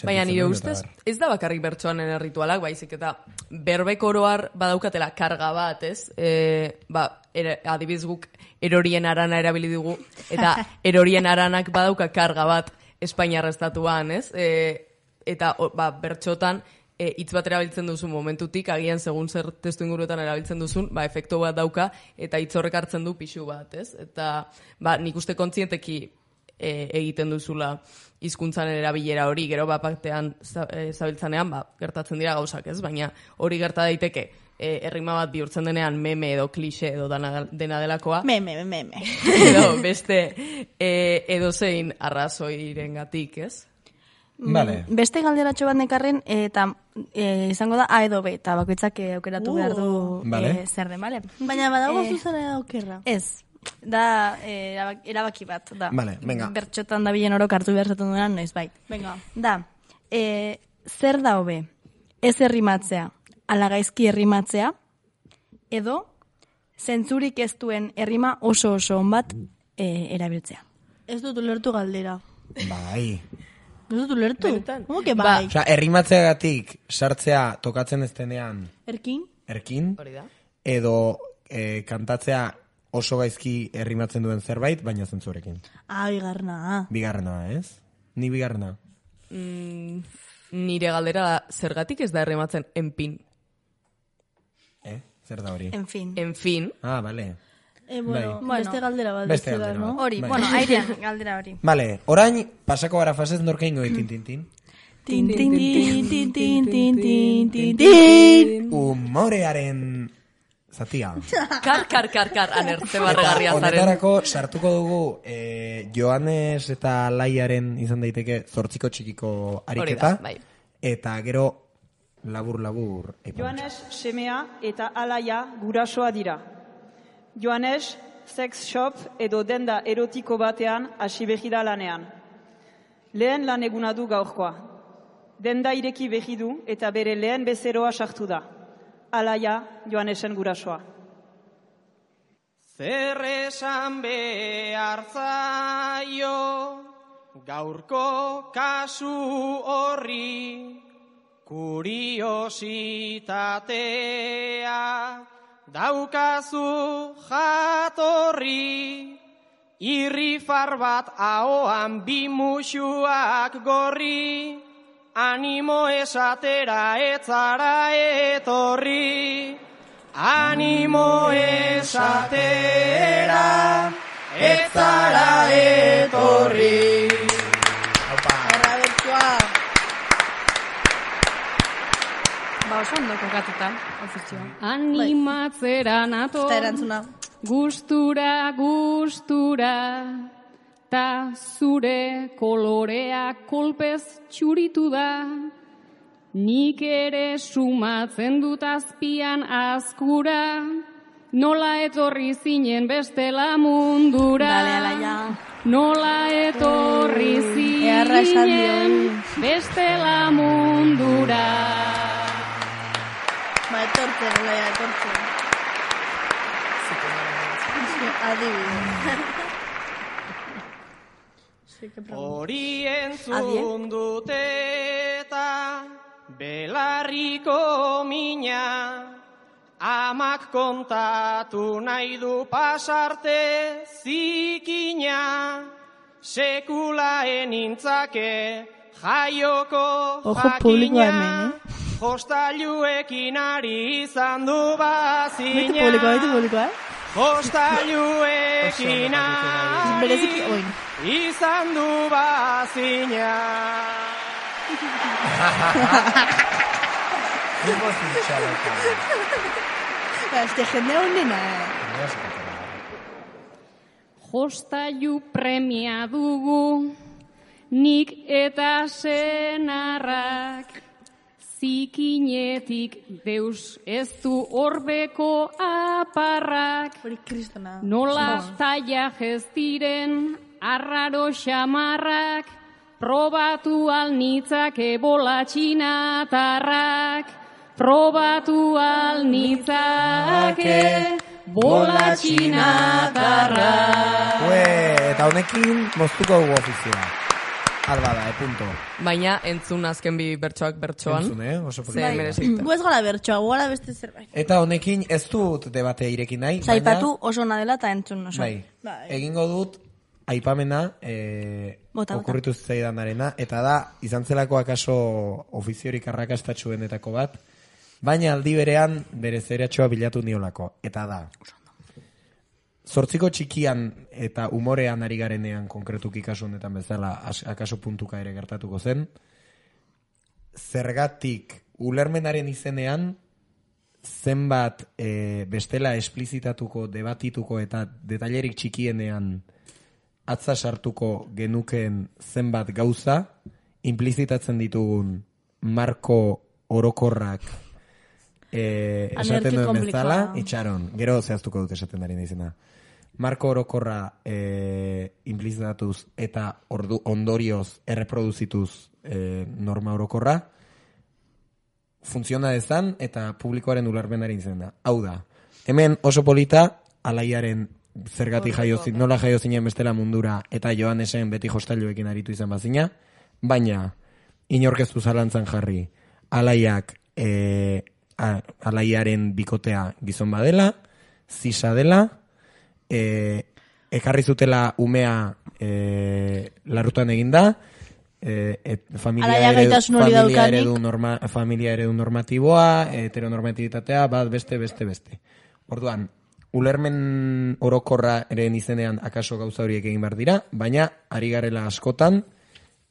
Baina nire ustez, ez da bakarrik bertsoanen erritualak, baizik eta berbek oroar badaukatela karga bat, ez? E, ba, er, adibiz guk erorien arana erabili dugu, eta erorien aranak badauka karga bat Espainiar estatuan, ez? E, eta ba, bertxotan e, hitz bat erabiltzen duzu momentutik, agian segun zer testu inguruetan erabiltzen duzun, ba, efektu bat dauka, eta hitz horrek hartzen du pixu bat, ez? Eta ba, nik uste kontzienteki e, egiten duzula hizkuntzan erabilera hori, gero bat batean zabiltzanean, ba, gertatzen dira gauzak, ez? Baina hori gerta daiteke, e, errima bat bihurtzen denean meme edo klixe edo dana, dena delakoa. Meme, meme. Edo beste e, edozein arrazoiren gatik, ez? Vale. Beste galderatxo bat nekarren, eta e, izango da A edo B, eta bakoitzak aukeratu uh, behar du vale. e, zer den, bale? Baina badago e, zuzera aukerra. Ez, da e, erabaki bat, da. Vale, venga. Bertxotan da bilen orok hartu behar zaten duenan, noiz bai. Venga. Da, e, zer da hobe, ez errimatzea, ala gaizki errimatzea, edo zentzurik ez duen errima oso oso on bat e, erabiltzea. Ez dut ulertu galdera. Bai. Ez dut ulertu? Como que bai? Osa, errimatzeagatik sartzea tokatzen ez denean... Erkin? Erkin. Edo e, kantatzea oso gaizki errimatzen duen zerbait, baina zentzurekin. Ah, bigarna. Bigarna, ez? Ni bigarna. Mm, nire galdera da, zergatik ez da errimatzen enpin? Eh? Zer da hori? En fin. En fin. Ah, bale. Eh, bueno, bai. beste galdera bat. Beste galdera no? bat. Hori, bueno, airean galdera hori. Vale, orain, pasako gara fasez norka ingo tin tin tin. Tin tin tin tin tin tin tin tin tin. Humorearen zatia. Kar, kar, kar, kar, anertze barregarria zaren. Honetarako sartuko dugu eh, Joanes eta Laiaren izan daiteke zortziko txikiko ariketa. Bai. Eta gero labur labur. Joanes semea eta Alaia gurasoa dira. Joanes sex shop edo denda erotiko batean hasi behida lanean. Lehen lan eguna du gaurkoa. Denda ireki behidu eta bere lehen bezeroa sartu da. Alaia Joanesen gurasoa. Zer esan behar zaio gaurko kasu horri kuriositatea daukazu jatorri, irrifar bat ahoan bi musuak gorri, animo esatera etzara etorri, animo esatera etzara etorri. Arra bertua. Ba, oso ondo kokatuta, ofizioa. Animatzera nato, gustura, gustura, ta zure kolorea kolpez txuritu da. Nik ere sumatzen dut azpian azkura, nola etorri zinen bestela mundura. Dale, Alaia. Nola etorri zinen bestela mundura. Ba, etortzen, Alaia, etortzen. Adibidez. Hori entzun dut eta belarriko mina, amak kontatu nahi du pasarte zikina, sekula enintzake jaioko jakina, jostailuekin ari izan du bazina. Baitu publikoa, baitu publikoa, eh? Jostailuekin ari izan du bazina. Este jende honena. Jostailu premia dugu, nik eta senarrak, zikinetik deus ez du horbeko aparrak, nola taia ez diren arraro xamarrak, probatu alnitzake bola txinatarrak, probatu alnitzake bola txinatarrak. Ue, eta honekin moztuko dugu ofizioa. Alba da, e punto. Baina entzun azken bi bertsoak bertsoan. Entzun, eh? Oso Ze merezita. Gu ez gara bertsoa, gu gara beste zerbait. Eta honekin ez dut debate irekin nahi. Zaipatu oso ona dela eta entzun oso. Bai, egingo dut aipamena eh, okurritu zaidanarena, eta da, izan zelako akaso ofiziorik arrakastatxuenetako bat, baina aldi berean bere zeratxoa bilatu niolako. Eta da, zortziko txikian eta umorean ari garenean konkretuki kasu honetan bezala akaso puntuka ere gertatuko zen, zergatik ulermenaren izenean zenbat e, bestela esplizitatuko, debatituko eta detailerik txikienean atza sartuko genukeen zenbat gauza, implizitatzen ditugun marko orokorrak e, esaten duen bezala, itxaron, gero zehaztuko dut esaten dari izena. Marko orokorra e, implizitatuz eta ordu, ondorioz erreproduzituz e, norma orokorra, funtziona dezan eta publikoaren ulermenari izena. Hau da, hemen oso polita, alaiaren zergatik jaiozin, nola jaiozinen bestela mundura eta Johanesen beti jostailuekin aritu izan bazina, baina inorkeztu zalantzan jarri alaiak e, a, alaiaren bikotea gizon badela, zisa dela, e, ekarri zutela umea e, larutan eginda, e, et, familia, eredu, familia, eredu norma, familia eredu normatiboa, heteronormatibitatea, bat beste, beste, beste. Orduan, ulermen orokorra eren izenean akaso gauza horiek egin behar dira, baina ari garela askotan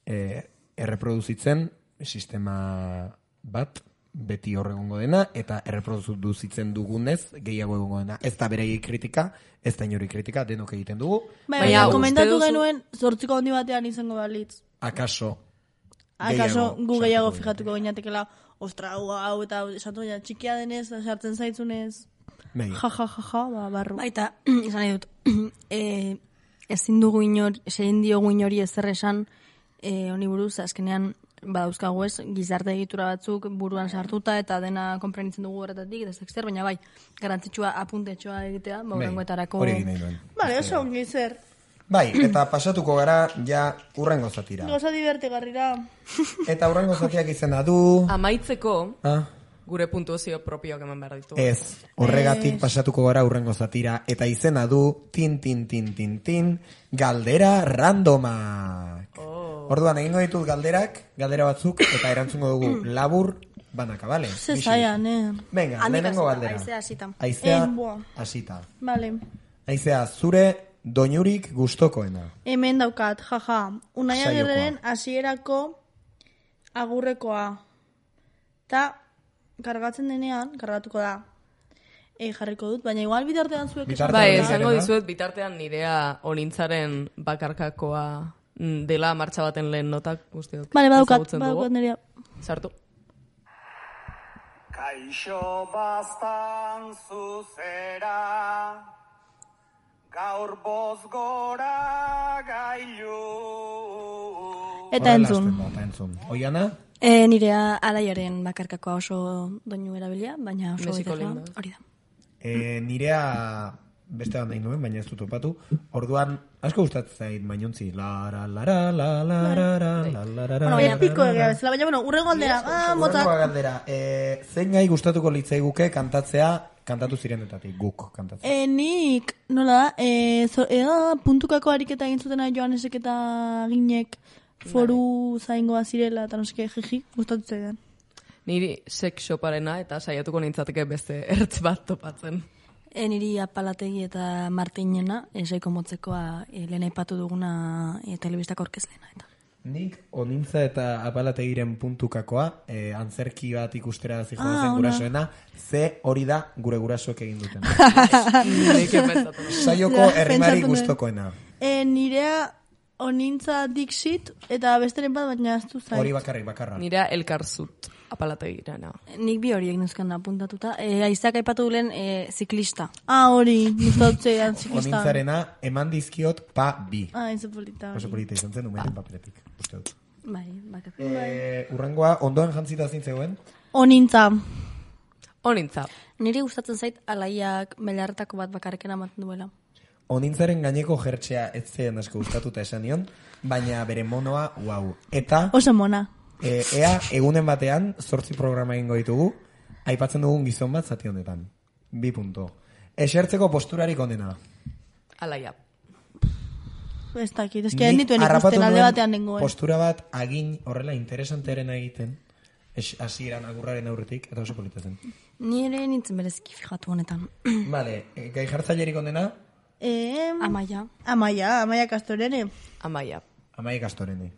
e, erreproduzitzen sistema bat, beti horregongo dena, eta erreproduzitzen dugunez gehiago egongo dena. Ez da berei kritika, ez da inori kritika, denok egiten dugu. Baina, komentatu genuen zortziko handi batean izango balitz. Akaso. Akaso gu gehiago fijatuko gineatekela, ostra, hau eta esatu baina txikia denez, sartzen zaitzunez. Ja, ja, ja, ja, ba, barru. Baita, izan nahi dut, e, ezin dugu inor, zein diogu inori ezer esan, e, honi buruz, azkenean, badauzkagu ez, gizarte egitura batzuk buruan sartuta eta dena konprenitzen dugu horretatik, eta zekster, baina bai, garantzitsua apuntetxoa egitea, baurengoetarako... Hori egin nahi duen. Bale, oso ongi zer. Bai, eta pasatuko gara, ja, urrengo zatira. Goza divertigarrira. Eta urrengo zatiak izena du... Amaitzeko, ah? gure puntuazio propioak eman behar ditu. Ez, horregatik es... pasatuko gara urrengo zatira, eta izena du, tin, tin, tin, tin, tin, galdera randomak. Oh. Orduan, egingo ditut galderak, galdera batzuk, eta erantzungo dugu labur, banaka, bale? Se zaian, eh? Venga, lehenengo galdera. Aizea asita. Aizea asita. Vale. Aizea, zure doinurik gustokoena. Hemen daukat, jaja. Unai Agirreren hasierako agurrekoa. Ta, kargatzen denean, kargatuko da. E, jarriko dut, baina igual bitartean zuek... Bai, esango dizuet bitartean nirea onintzaren bakarkakoa dela martxa baten lehen notak guztiok. Bale, badaukat, badaukat nirea. Sartu. Kaixo bastan zuzera, gaur boz gora gailu. Eta entzun. Eta entzun. Oiana? E, nirea alaiaren bakarkakoa oso doinu erabilia, baina oso goizela, hori da. E, nirea beste bat nahi nuen, baina ez dut topatu. Orduan, asko gustatzen zait mainontzi. La, la, la, la, la, la, la, la, la, la, la, bueno, epiko egia bezala, baina, bueno, urrengo galdera. Ah, motak. Urrengo galdera. E, zein gai gustatuko litzaiguke kantatzea, kantatu zirenetatik, guk kantatzea. E, nik, nola da, e, zo, e, puntukako ariketa egin zutena Johanesek eta Ginek foru zaingoa zirela, eta noske, jiji, gustatu zaidan. Niri sex shoparena eta saiatuko nintzateke beste ertz bat topatzen. E, niri Apalategi eta Martinena, esaiko motzekoa e, lehen aipatu duguna e, telebistako orkezlena. Eta. Nik onintza eta apalategiren puntukakoa, eh, antzerki bat ikustera zijoa Ah, zen ona. gurasoena, ze hori da gure gurasoek egin duten. Saioko herrimari gustokoena. E, nirea onintza Dixit eta besteren bat baina ez du zait. Hori bakarrik, bakarra. Nira elkarzut apalategirana. Nik bi horiek nuzkan apuntatuta. E, Aizak aipatu dulen e, ziklista. Ah, hori, nuztatzean ziklista. Onintzarena eman dizkiot pa bi. Ah, ez polita. Oso polita izan zen, umeten paperetik. Uste dut. Bai, bakat. Eh, urrengoa, ondoen jantzita zintzegoen? Onintza. Onintza. Niri gustatzen zait alaiak belarretako bat bakarreken amaten duela. Onintzaren gaineko jertxea ez zen asko gustatuta esan nion, baina bere monoa, wow. Eta... Oso mona. E, ea, egunen batean, zortzi programa egingo ditugu, aipatzen dugun gizon bat zati honetan. Bi punto. Esertzeko posturarik onena. Alaia. Ez dakit, ez que nituen ikusten alde batean nengoen. Postura bat agin horrela interesantearena egiten, hasieran agurraren aurretik, eta oso polita zen. Ni ere nintzen bereziki fijatu honetan. Vale, gai jartzailerik onena? Eh, Amaia. Amaia, Amaia Kastorene. Amaia. Amaia Kastorene.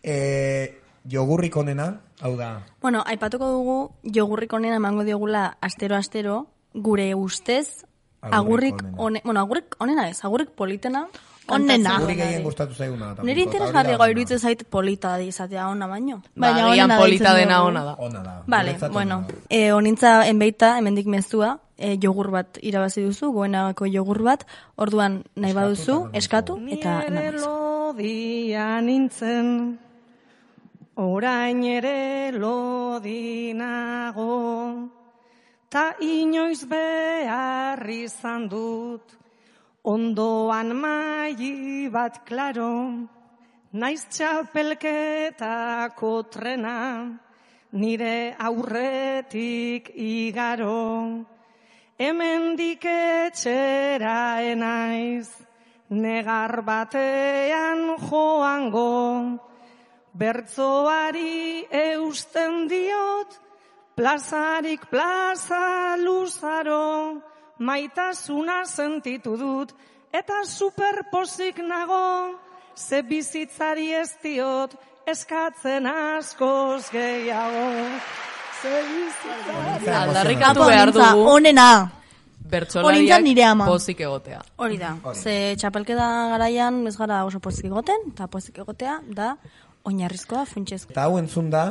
Eh, jogurrik onena, hau da. Bueno, aipatuko dugu jogurrik onena emango diogula astero-astero, gure ustez, agurrik onena. Bueno, agurrik onena ez, agurrik politena. Onena. Guri gehien gustatu zaiguna. Nire interesgarriago iruditzen zait polita izatea ona baino. Baina agian polita dena ona da. Ona da. Vale, bueno, eh, onintza enbeita, hemendik mezua, eh, jogur bat irabazi duzu, goenagako jogur bat, orduan nahi baduzu, eskatu, eta Nire lodia nintzen, orain ere lodinago, ta inoiz behar izan dut, ondoan maili bat klaro, naiz txapelketako trena, nire aurretik igaro, hemendik etxera enaiz, negar batean joango, bertzoari eusten diot, plazarik plaza luzaro, maitasuna sentitu dut, eta superpozik nago, ze bizitzari ez diot, eskatzen askoz gehiago. Ze bizitzari... Aldarrikatu behar dugu. Onena. Bertsolariak pozik egotea. Hori da. Ze txapelketa garaian ez gara oso pozik egoten, eta pozik egotea da oinarrizkoa funtsezkoa. Eta hau entzun da,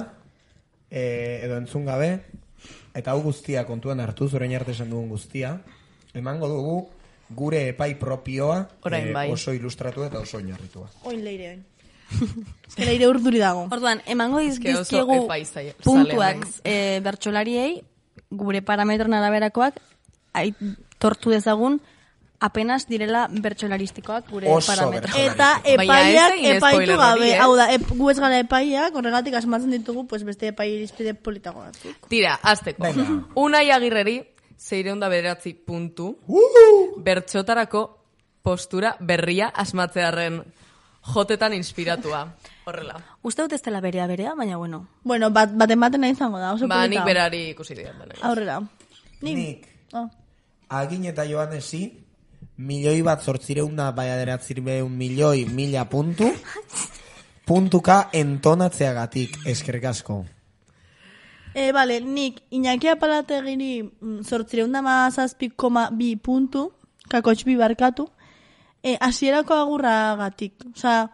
eh, edo entzun gabe, eta hau guztia kontuan hartu, zorein arte esan dugun guztia, emango dugu gure epai propioa eh, bai. oso ilustratu eta oso oinarritua. Oin leire, oin. Ez leire urduri dago. Orduan, emango oso dizkiegu epai zaila- puntuak zalea eh, bertsolariei, gure parametron araberakoak, aitortu dezagun, apenas direla bertsolaristikoak gure Oso parametro. Eta epaiak epaitu gabe, hau da, ep, gu ez gara epaiak, horregatik asmatzen ditugu, pues beste epai irizpide politago batzuk. Tira, azteko. Unai Agirreri, zeireunda bederatzi puntu, bertxotarako postura berria asmatzearen jotetan inspiratua. Horrela. Uste dut ez dela berea berea, baina bueno. Bueno, bat, baten baten nahi izango da, oso Ba, polita. nik berari ikusi diat. Aurrera. Nik. Oh. Agin eta Joanesi, milioi bat zortzireunda baiaderatzireun milioi mila puntu, puntuka entonatzeagatik, eskerrik asko. E, bale, nik Iñaki Apalategiri zortzireunda mazazpi koma bi puntu, kakotxbi barkatu, e, asierako agurragatik. Osa,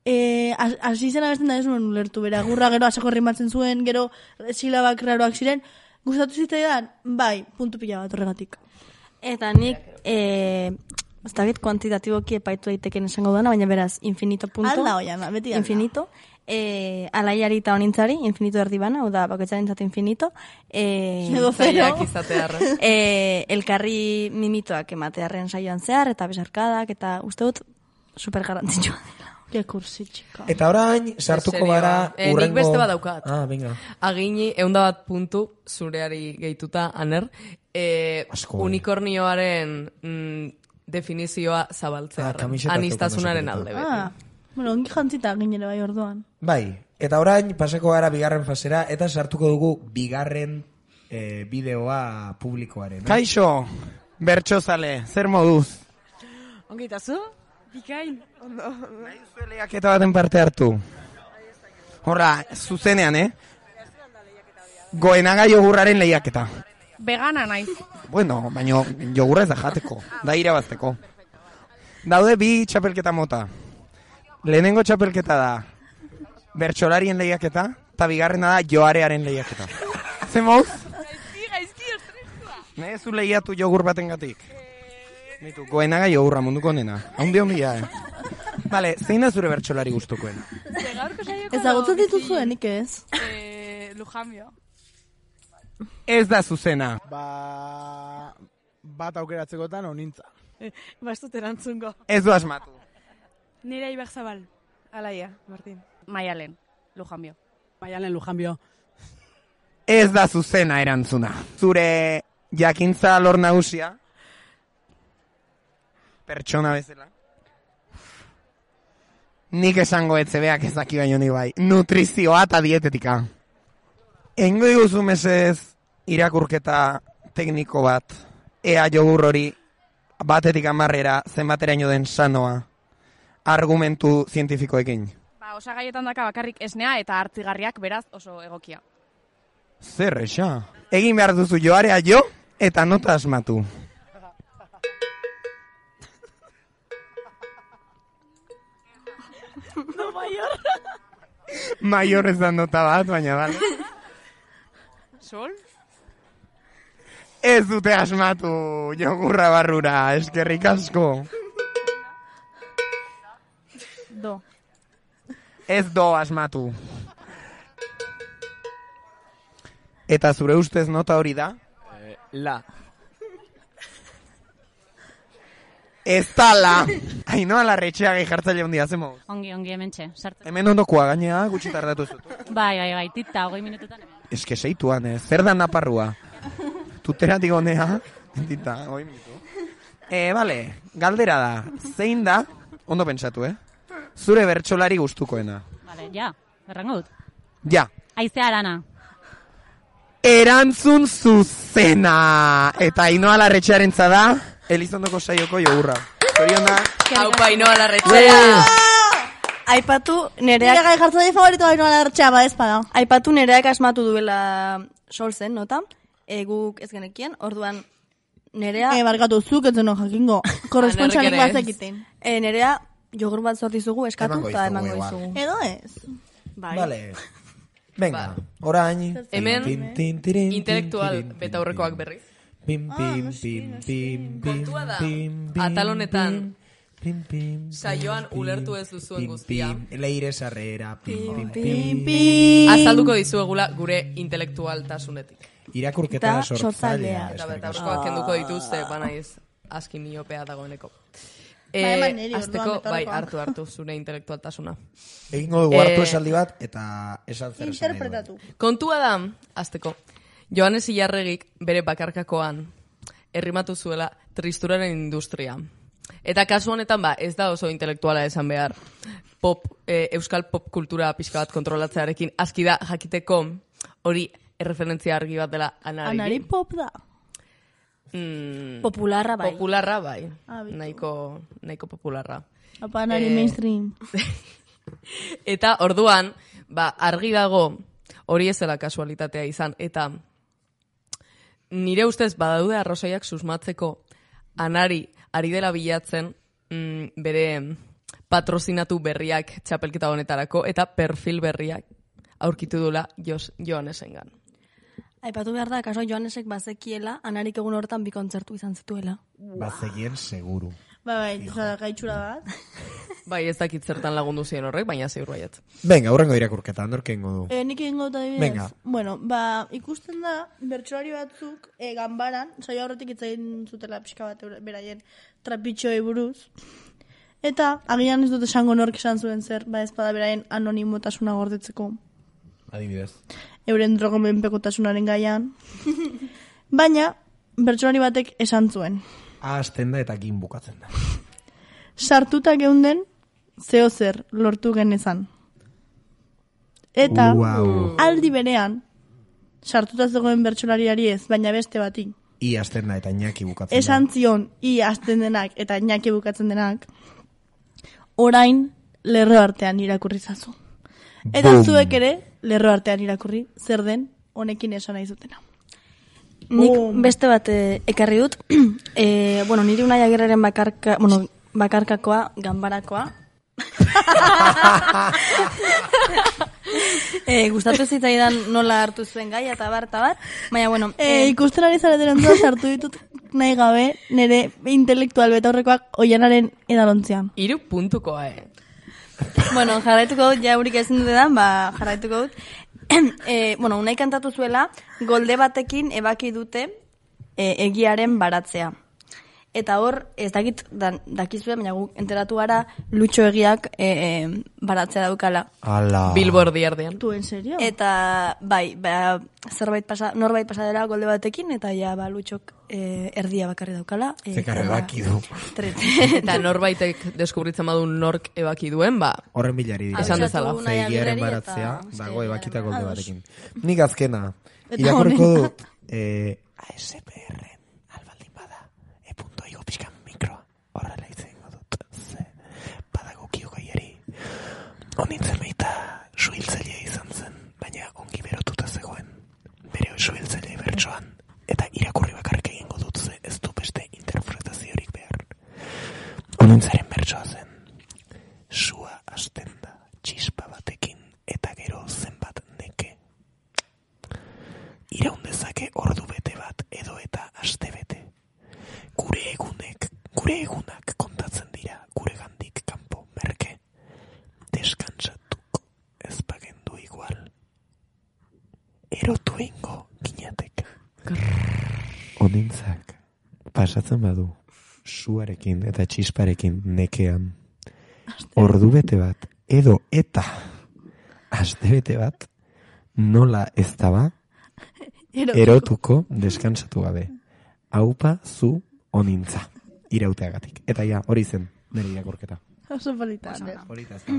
e, hasi zena besten da ez nuen ulertu, bera, agurra gero asako rimatzen zuen, gero silabak raroak ziren, gustatu zitzaidan, bai, puntu pila bat horregatik. Eta nik, eh, ez dakit kuantitatiboki epaitu daiteken esango dana, baina beraz, infinito punto. Alda oian, beti alda. Infinito. Eh, alaiari eta honintzari, infinito erdibana, hau da, bakoitzaren zatu infinito. Eh, Edo zero. eh, elkarri mimitoak ematearen saioan zehar, eta besarkadak, eta uste dut, super garantzitsua dela. Ke kursi, txika. Eta orain, sartuko Serioa. gara Eh, nik beste bat daukat. Ah, venga. Agini, eunda bat puntu, zureari gehituta, aner, eh, unikornioaren mm, definizioa zabaltzearen. Ah, kamiseta Anistazunaren zeukan alde oso beti. Ah, bueno, ongi jantzita ginere bai orduan. Bai, eta orain pasako gara bigarren fasera, eta sartuko dugu bigarren eh, bideoa publikoaren. Kaixo, bertxozale, zer moduz? Ongi, eta zu? Bikain, ondo. Lehiaketa baten parte hartu. Horra, zuzenean, eh? Goenaga jogurraren lehiaketa. Vegana naiz. Bueno, baina jogurra ez da jateko, da irabazteko. Daude bi txapelketa mota. Lehenengo txapelketa da bertsolarien lehiaketa, eta bigarrena da joarearen lehiaketa. Zer mouz? Gaizki, gaizki, estresua. Ne, zu lehiatu jogur baten gatik. Mitu, goenaga jogurra munduko nena. Haundi hondia, eh? Vale, zein da zure bertsolari gustukoena? Ezagutzen dituzuenik ez? Eh, Lujambio. Ez da zuzena. Ba... bat aukeratzekotan onintza. Bastut erantzungo. Ez du asmatu. Nire Ibarzabal. Alaia, Martin. Maialen, Lujambio. Maialen, Lujambio. Ez da zuzena erantzuna. Zure jakintza lor nagusia, pertsona bezala, nik esango etzebeak ez daki baino ni bai. Nutrizioa eta dietetika. Engo diguzu mesez irakurketa tekniko bat, ea jogur hori batetik amarrera zenbateraino den sanoa, argumentu zientifikoekin. Ba, osagaietan daka bakarrik esnea eta hartzigarriak beraz oso egokia. Zer, esa? Egin behar duzu joarea jo eta nota asmatu. No, mayor. Mayor ez da nota bat, baina bale. Sol? Ez dute asmatu jogurra barrura, eskerrik asko. Do. Ez do asmatu. Eta zure ustez nota hori da? Eh, la. Ez da la. Ainoa larretxea gehi jartzaile hundia, zemo? Ongi, ongi, hemen txe. Hemen ondokoa gainea, gutxi tardatu zutu. Bai, bai, bai, tita, hogei minututan hemen. Ez que seituan, eh? Zer da naparrua? Tuteratik honea, tita, hogei minutu. Eh, bale, galdera da. Zein da, ondo pentsatu, eh? Zure bertsolari gustukoena. Bale, ja, errango dut. Ja. Aizea arana. Erantzun zuzena. Eta Ainoa Larretxearentza da, Elizondoko saioko jogurra. Zoriona. Haupa Ainoa Larretxea. Aipatu nereak... Nire gai jartzaile favorito Ainoa Larretxea ba ez bada. Aipatu nereak asmatu duela sol zen, nota? Eguk ez genekien, orduan nerea... E, barkatu, zuk ez zeno jakingo. Korresponsalik bat zekiten. E, nerea jogur bat sortizugu eskatu eta emango izugu. Edo ez? Bai. Vale. Venga, orain. Hemen, intelektual beta aurrekoak berriz. Pim, pim, pim, pim, kontua da, atalonetan, saioan ulertu ez duzuen guztia. Leire sarrera, pim, pim, pim. Azalduko dizuegula gure intelektualtasunetik. Irakurketa sortzailea. Eta beta aurrekoak kenduko dituzte, banaiz, aski miopea dagoeneko. Bai, bai, niri, azteko, orduan, bai, betarrekoa. hartu, hartu, zure intelektualtasuna. Egingo dugu hartu esaldi bat, eta esan zer esan. Interpretatu. Kontua da, azteko, Joanes Ilarregik bere bakarkakoan errimatu zuela tristuraren industria. Eta kasu honetan, ba, ez da oso intelektuala esan behar. Pop, e, euskal pop kultura pixka bat kontrolatzearekin aski da jakiteko hori erreferentzia argi bat dela Anari. Anari pop da. Mm, popularra bai. Popularra bai. Ah, nahiko, nahiko popularra. Apa Anari Eh, mainstream. Eta orduan, ba, argi dago hori ez dela kasualitatea izan. Eta nire ustez badaude arrazoiak susmatzeko Anari ari dela bilatzen mm, bere patrozinatu berriak txapelketa honetarako eta perfil berriak aurkitu dula Joanesengan. Aipatu behar da, kaso Joanesek bazekiela, Anarik egun hortan bi kontzertu izan zituela. Bazekien seguru. Ba, bai, zara gaitxura bat. Bai, ez dakit zertan lagundu ziren horrek, baina ziur baiet. Venga, aurrengo irakurketa, norke ingo du. E, nik egingo dut adibidez. Venga. Bueno, ba, ikusten da, bertsolari batzuk e, ganbaran, saio horretik itzain zutela pixka bat eure- beraien trapitxoei buruz. Eta, agian ez dut esango nork esan zuen zer, ba ez bada beraien anonimotasuna gordetzeko. Adibidez. Euren drogomenpekotasunaren gaian. Baina, bertsolari batek esan zuen. Ahazten da eta gin bukatzen da. Sartuta geunden, zeo zer lortu genezan. Eta, Wow. aldi berean, sartuta zegoen bertsolariari ez, baina beste bati. I azten da eta Iñaki bukatzen Esan zion, i azten denak eta Iñaki bukatzen denak, orain lerro artean irakurri zazu. Eta Boom. zuek ere, lerro artean irakurri, zer den honekin esan nahi zutena. Nik beste bat eh, ekarri dut. eh, bueno, niri Unai Agirreren bakarka, bueno, bakarkakoa, ganbarakoa. eh, gustatu zitzaidan nola hartu zuen gai eta bar, eta bar. Baina, bueno... Eh, ikusten ari zareteren duaz hartu ditut nahi gabe, nire intelektual betaurrekoak oianaren edalontzean. Iru puntukoa, eh? Bueno, jarraituko dut, ja eurik ezin dutedan, ba, jarraituko dut. e, bueno, Unai kantatu zuela, golde batekin ebaki dute e, egiaren baratzea. Eta hor, ez dakit dan, dakizue, baina guk enteratu gara Lutxo egiak e, e, baratzea daukala. Ala. Billboard erdian. Tu, en serio? Eta, bai, ba, zerbait pasa, norbait pasa dela golde batekin, eta ja, ba, Lutxok e, erdia bakarri daukala. E, Zekarre baki du. Eta norbaitek deskubritzen badu nork ebaki duen, ba... Horren bilari dira. Esan dezala. Zeigiaren baratzea, dago ebakita golde batekin. Nik azkena, Eta irakurriko honena. dut, eh, A S P R albaldin bada, e punto igo pixkan mikroa, horrela itzen dut, ze, badago kio gaiari. Honintzen meita suhiltzailea izan zen, baina ongi berotuta zegoen, bere suhiltzailea bertsoan, eta irakurri bakarrik egingo dut, ze ez du beste interpretaziorik behar. Honintzaren bertsoa zen, sua hasten da, txispa batekin, eta gero zenbat neke. Iraun dezake ordu bete bat edo eta aste bete. Gure egunek, gure egunak kontatzen dira gure gandik kanpo merke. Deskantsatuko ez bagendu igual. Erotu ingo ginatek. Honintzak pasatzen badu suarekin eta txisparekin nekean. Ordu bete bat edo eta aste bete bat nola ez daba erotuko descansatu gabe. Aupa zu honintza irauteagatik. Eta ja, hori zen nire irakurketa. Oso polita. Polita ez da.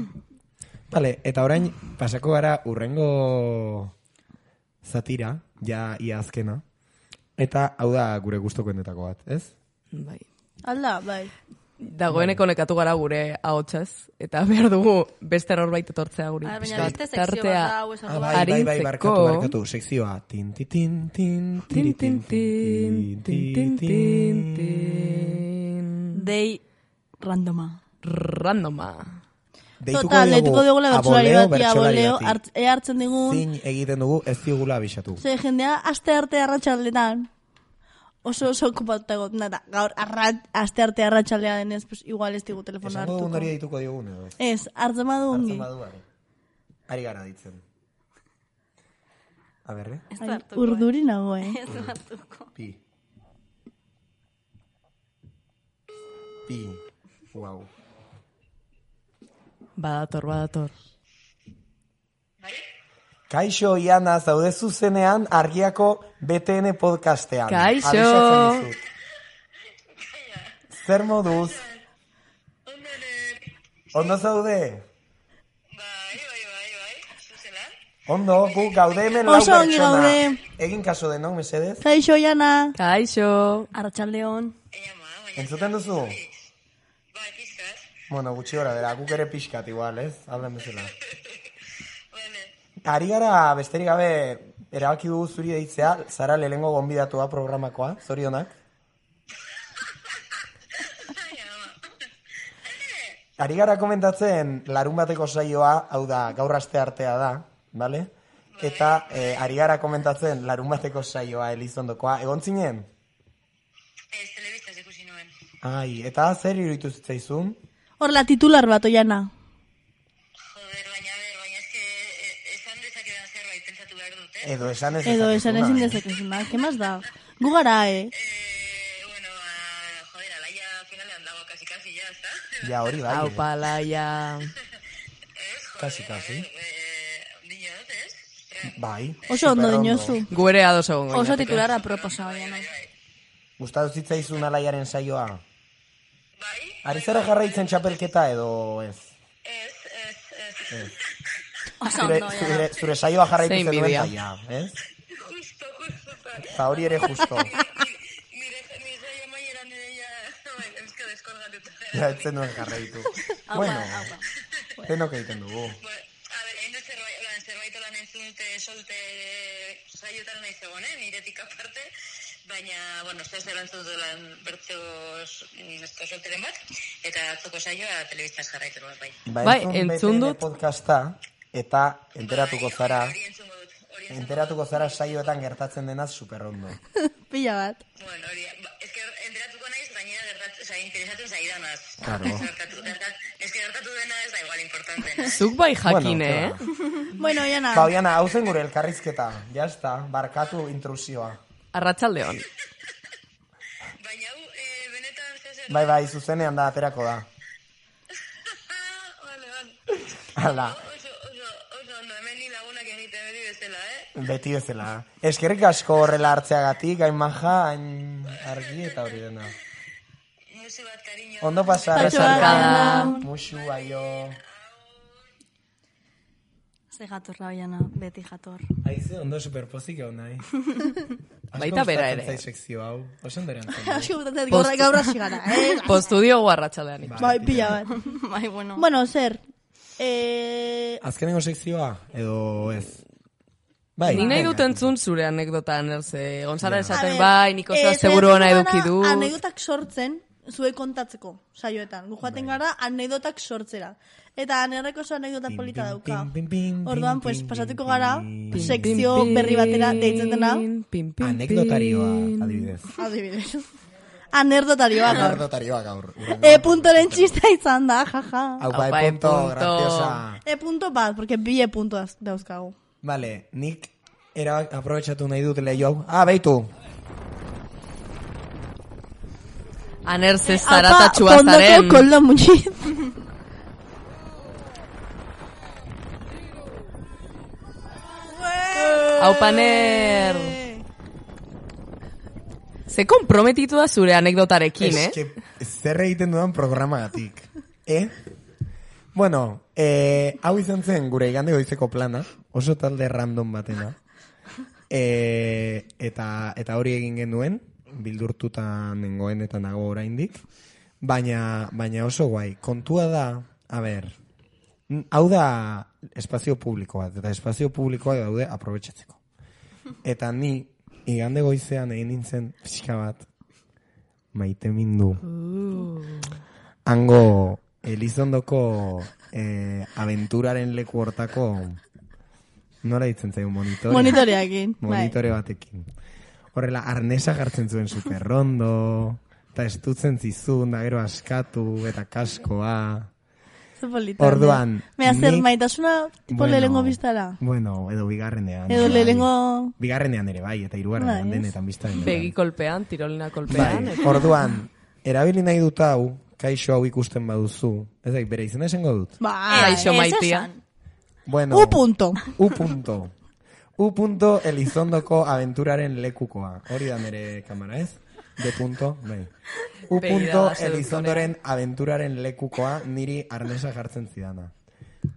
Vale, eta orain pasako gara urrengo zatira, ja ia azkena. Eta hau da gure gustokoenetako bat, ez? Bai. Alda, bai. Dagoeneko nekatu gara gure ahotsaz, eta behar dugu beste norbait etortzea guri. Ah, baina beste sekzio bat da, hau esan Ah, bai, bai, bai, barkatu, barkatu, sekzioa. Tin, tin, tin, tin, tiri, tin, tin, tin, tin, tin. Dei randoma. Randoma. Deituko Total, deituko diogu digula bertsolari aboleo, bati, bertsolari aboleo, bati. hart- ea hartzen digun. Zin egiten dugu ez digula abisatu. Ze jendea aste arte arratsaldetan oso oso okupatuta egoten da. Gaur arrat, aste arte arratsaldea denez, pues igual ez digu telefono Esango hartuko. dugun hori deituko diogun edo ez? Ez, hartzen badu ongi. Hartzen badu, ari. Ari gara ditzen. A berre? Ai, urduri nago, eh? Ez du hartuko. Pi. Pi. Wow. Badator, badator. Kaixo, Iana, zaude zuzenean argiako B T N podcastean. Kaixo. Abisatzen dizut. Zer moduz? Ondo zaude? Ondo, gu gaude hemen lau Oso ongi pertsona. gaude. Egin kaso denok, mesedez. Kaixo, Jana. Kaixo. Arratsaldeon. Entzuten duzu? Bueno, gutxi gora bera, guk ere pixkat igual, ez? Alden bezala. Ari gara, besterik gabe, erabaki dugu zuri deitzea, zara lehengo gonbidatua programakoa, zorionak. Ari gara komentatzen larun bateko saioa, hau da, gaur aste artea da, bale? Eta eh, ari gara komentatzen larun bateko saioa Elizondokoa, egon zinen? Ez, telebistaz ikusi nuen. Ai, eta zer iruditu zitzaizun? Hor la titular bat, Oiana. Edo esan ez Edo esan ezin dezakezuna, eh? dezakezuna. ¿Qué más da? Gu gara, eh? Ja, hori bai. Hau palaia. Kasi, kasi. Bai. Oso ondo superondo. dinozu. Gu ere ados egongo Oso ginateke. titularra proposa, Oiana. Gustatu zitzaizun alaiaren saioa? Ari zara jarraitzen txapelketa edo ez? Ez. Oso Zure, ondo, zure, Oiana. zure saioa jarraitu Zein zenuen bidia. taia, ez? Eta hori ere justo. Ja, etzen nuen jarraitu. Aupa, Bueno, aupa. denok egiten dugu. uste dute solte saiotan nahi zegoen, niretik aparte, baina, bueno, ez da erantzun duela bertzo solteren bat, eta atzoko saioa telebistaz jarraitu nuen bai. Bai, entzun dut podcasta, eta enteratuko zara, enteratuko zara saioetan gertatzen denaz superrondo. Pila bat. Bueno, hori, ez que enteratuko naiz, gainera gertatzen, oza, interesatzen zaidanaz. Claro. Ez que gertatu dena ez da igual importante. Zuk bai jakin, eh? Bueno, Oiana. Ba, Oiana, hau zen gure elkarrizketa, jazta, barkatu intrusioa. Arratsaldeon. Baina hau, eh, benetan zezer... Bai, bai, zuzenean da, aterako da. Vale, vale. Hala. Oso, oso, oso, ondo, hemen ni lagunak egiten beti bezala, eh? Beti bezala. Eskerrik asko horrela hartzeagatik, hain maja, hain argi eta hori dena. Musu bat, cariño. Ondo pasar, esarkada. Musu, aio. Ze jatorra Oiana, beti jator. Aize, ondo superpozik egon nahi. Baita bera ere. Asko gustatzen sekzio hau. Oso ondorean. Asko gustatzen gaur gaur hasi gara, eh? Postudio guarratsaldean. Bai, pila bat. Bai, bueno. Bueno, zer. Eh, Azkenengo sekzioa edo ez. Bai, ni nahi dut entzun zure anekdota anerze. Gonzara esaten A bai, ver, niko eh, zoa seguru ona saiatu eduki gara du. Anekdotak sortzen, zuek kontatzeko saioetan. Gu joaten gara anekdotak sortzera. Eta anerreko oso anekdota polita dauka. Orduan, pues, pasatuko gara sekzio berri batera deitzen dena. Anekdotarioa, adibidez. Adibidez. Anerdotarioa gaur. Anerdotarioa gaur. E puntoren txista izan da, jaja. Aupa, e punto, graciosa. E punto bat, porque bi e punto dauzkagu. Vale, nik era aprobetxatu nahi dut lehio hau. Ah, beitu. Anerze zaratatxua zaren. Fondoko koldo muñiz. Aupaner. Ze komprometitu da zure anekdotarekin, eh? Ez que zer egiten dudan programagatik. Eh? Bueno, eh, hau izan zen gure igande goizeko plana, oso talde random batena. Eh, eta, eta hori egin genuen, bildurtuta nengoen eta nago oraindik. Baina, baina oso guai. Kontua da, a ber, hau da espazio publiko bat, eta espazio publikoa daude aprobetxatzeko. Eta ni, igande goizean egin nintzen pixka bat, maite mindu. Hango Elizondoko eh, aventuraren leku hortako, nola ditzen zaigu monitore? Monitoreakin. Monitore batekin. Horrela, arnesa jartzen zuen superrondo, eta estutzen zizun, da gero askatu, eta kaskoa. Orduan, me hacer maitasuna tipo bueno, lehengo biztara. Bueno, edo bigarrenean. Edo lehengo... Bigarrenean ere bai, eta hirugarrenean denetan biztaren. Begi kolpean, tirolina kolpean. Bai. Orduan, erabili nahi dut hau, kaixo hau ikusten baduzu. Ez da, bere izena esango dut. Bai, kaixo maitia. Bueno, U punto. U punto. U punto Elizondoko aventuraren lekukoa. Hori da nire kamera, ez? De punto, bai. U punto Elizondoren aventuraren lekukoa niri arnesa jartzen zidana.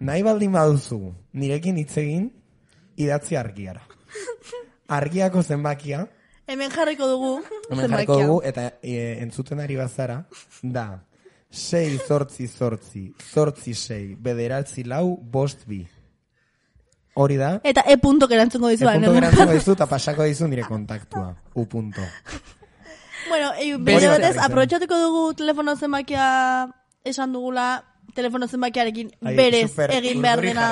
Nahi baldin baduzu, nirekin hitz egin, idatzi argiara. Argiako zenbakia. Hemen jarriko dugu. Hemen jarriko dugu, eta e, entzuten ari bazara, da, sei zortzi zortzi, zortzi sei, bederatzi lau, bost bi. Hori da. Eta e punto gerantzungo dizu. E punto gerantzungo dizu, eta pasako dizu nire kontaktua. U punto. Bueno, bide batez, aprobetxatuko dugu telefono zenbakia esan dugula, telefono zenbakiarekin berez egin behar dena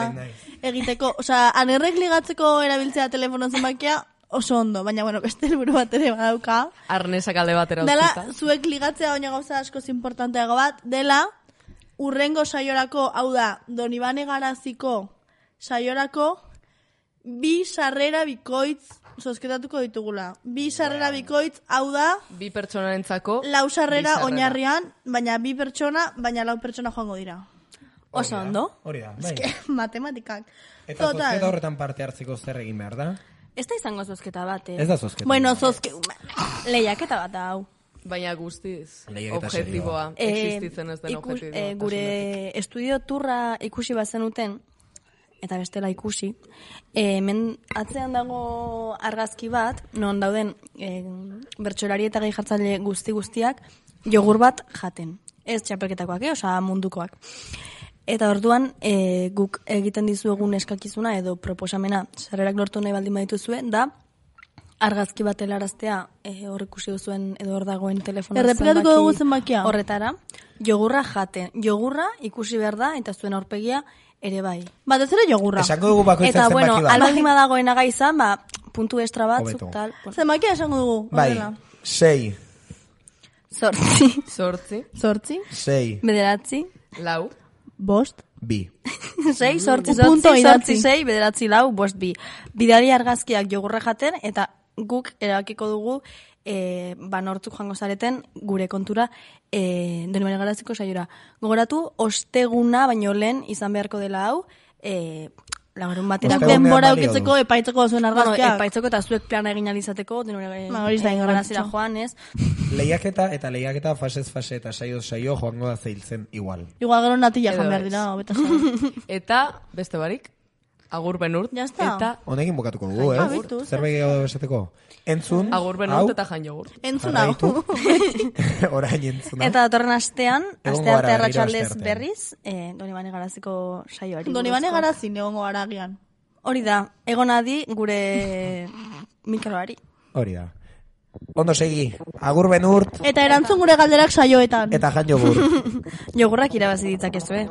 egiteko. Osa, anerrek ligatzeko erabiltzea telefono zenbakia oso ondo, baina, bueno, beste helburu bat ere badauka. Arnesak alde batera utzita. Dela, zuek ligatzea baina gauza askoz importanteago bat, dela, urrengo saiorako, hau da, Donibane Garaziko saiorako, bi sarrera bikoitz zozketatuko ditugula. Bi sarrera bikoitz, hau da... Bi pertsonarentzako... Lau sarrera oinarrian, baina bi pertsona, baina lau pertsona joango dira. Oso ondo? Hori da, bai. Matematikak. Eta zozketa horretan parte hartzeko zer egin behar da? Ez da izango zozketa bat, eh? Ez da zozketa. Bueno, zozke... Lehiaketa bat hau. Baina guztiz. Lehiaketa objetiboa. Existitzen ez den objetiboa. Eh, gure estudio turra ikusi bazenuten, eta bestela ikusi, e, hemen atzean dago argazki bat, non dauden e, bertsolari eta gehi jartzaile guzti guztiak, jogur bat jaten. Ez txapelketakoak, eh? Osa mundukoak. Eta orduan, e, guk egiten dizuegun eskakizuna edo proposamena sarrerak lortu nahi baldin badituzue, da argazki bat helaraztea e, hor ikusi duzuen edo hor dagoen telefono Errepikatuko dugu zenbakia. Horretara, jogurra jaten. Jogurra ikusi behar da eta zuen aurpegia ere bai. Bat ez ere jogurra. Esango dugu bakoitzak eta, zenbaki bueno, bat. albaldima dagoen aga izan, ba, puntu extra batzuk, Hobeto. tal. Zenbakia esango dugu. Bai, horrela. sei, Zortzi. Zortzi. Zortzi. sei, Bederatzi. Lau. Bost. bi. Sei, sortzi, Un punto sortzi, idatzi. sortzi, sei, bederatzi, lau, bost, bi. Bidali argazkiak jogurra jaten, eta guk erabakiko dugu e, ba nortzuk joango zareten gure kontura e, Donibane Garaziko saiora. Gogoratu, osteguna baino lehen izan beharko dela hau, e, lagarun batera. Denbora eukitzeko epaitzeko zuen argazkiak. Bueno, epaitzeko eta zuek plana egin alizateko, Donibane Ba, hori da Garazira garrantzitsua. joan, ez? Lehiaketa eta lehiaketa fasez fase eta saio saio joango da zeiltzen igual. Igual gero natila Edo jan behar ez. dira, hobeta zara. Eta, beste barik, agur benurt. Ya está. Eta Honekin bukatuko dugu, Jan eh? jogurt. Zerbait gehiago esateko. Entzun, agur benurt eta jan jogurt. Entzun hau. jarraitu. Orain entzun hau. Eta datorren astean, Egongo aste arte gara, arratsaldez berriro asteartean. berriz, eh, Donibane Garaziko saioari. Donibane buruzko. Garazin egongo gara agian. Hori da, egon adi gure mikroari. Hori da. Ondo segi, agur benurt Eta erantzun gure galderak saioetan. eta jan jogur. Jogurrak irabazi ditzakezue.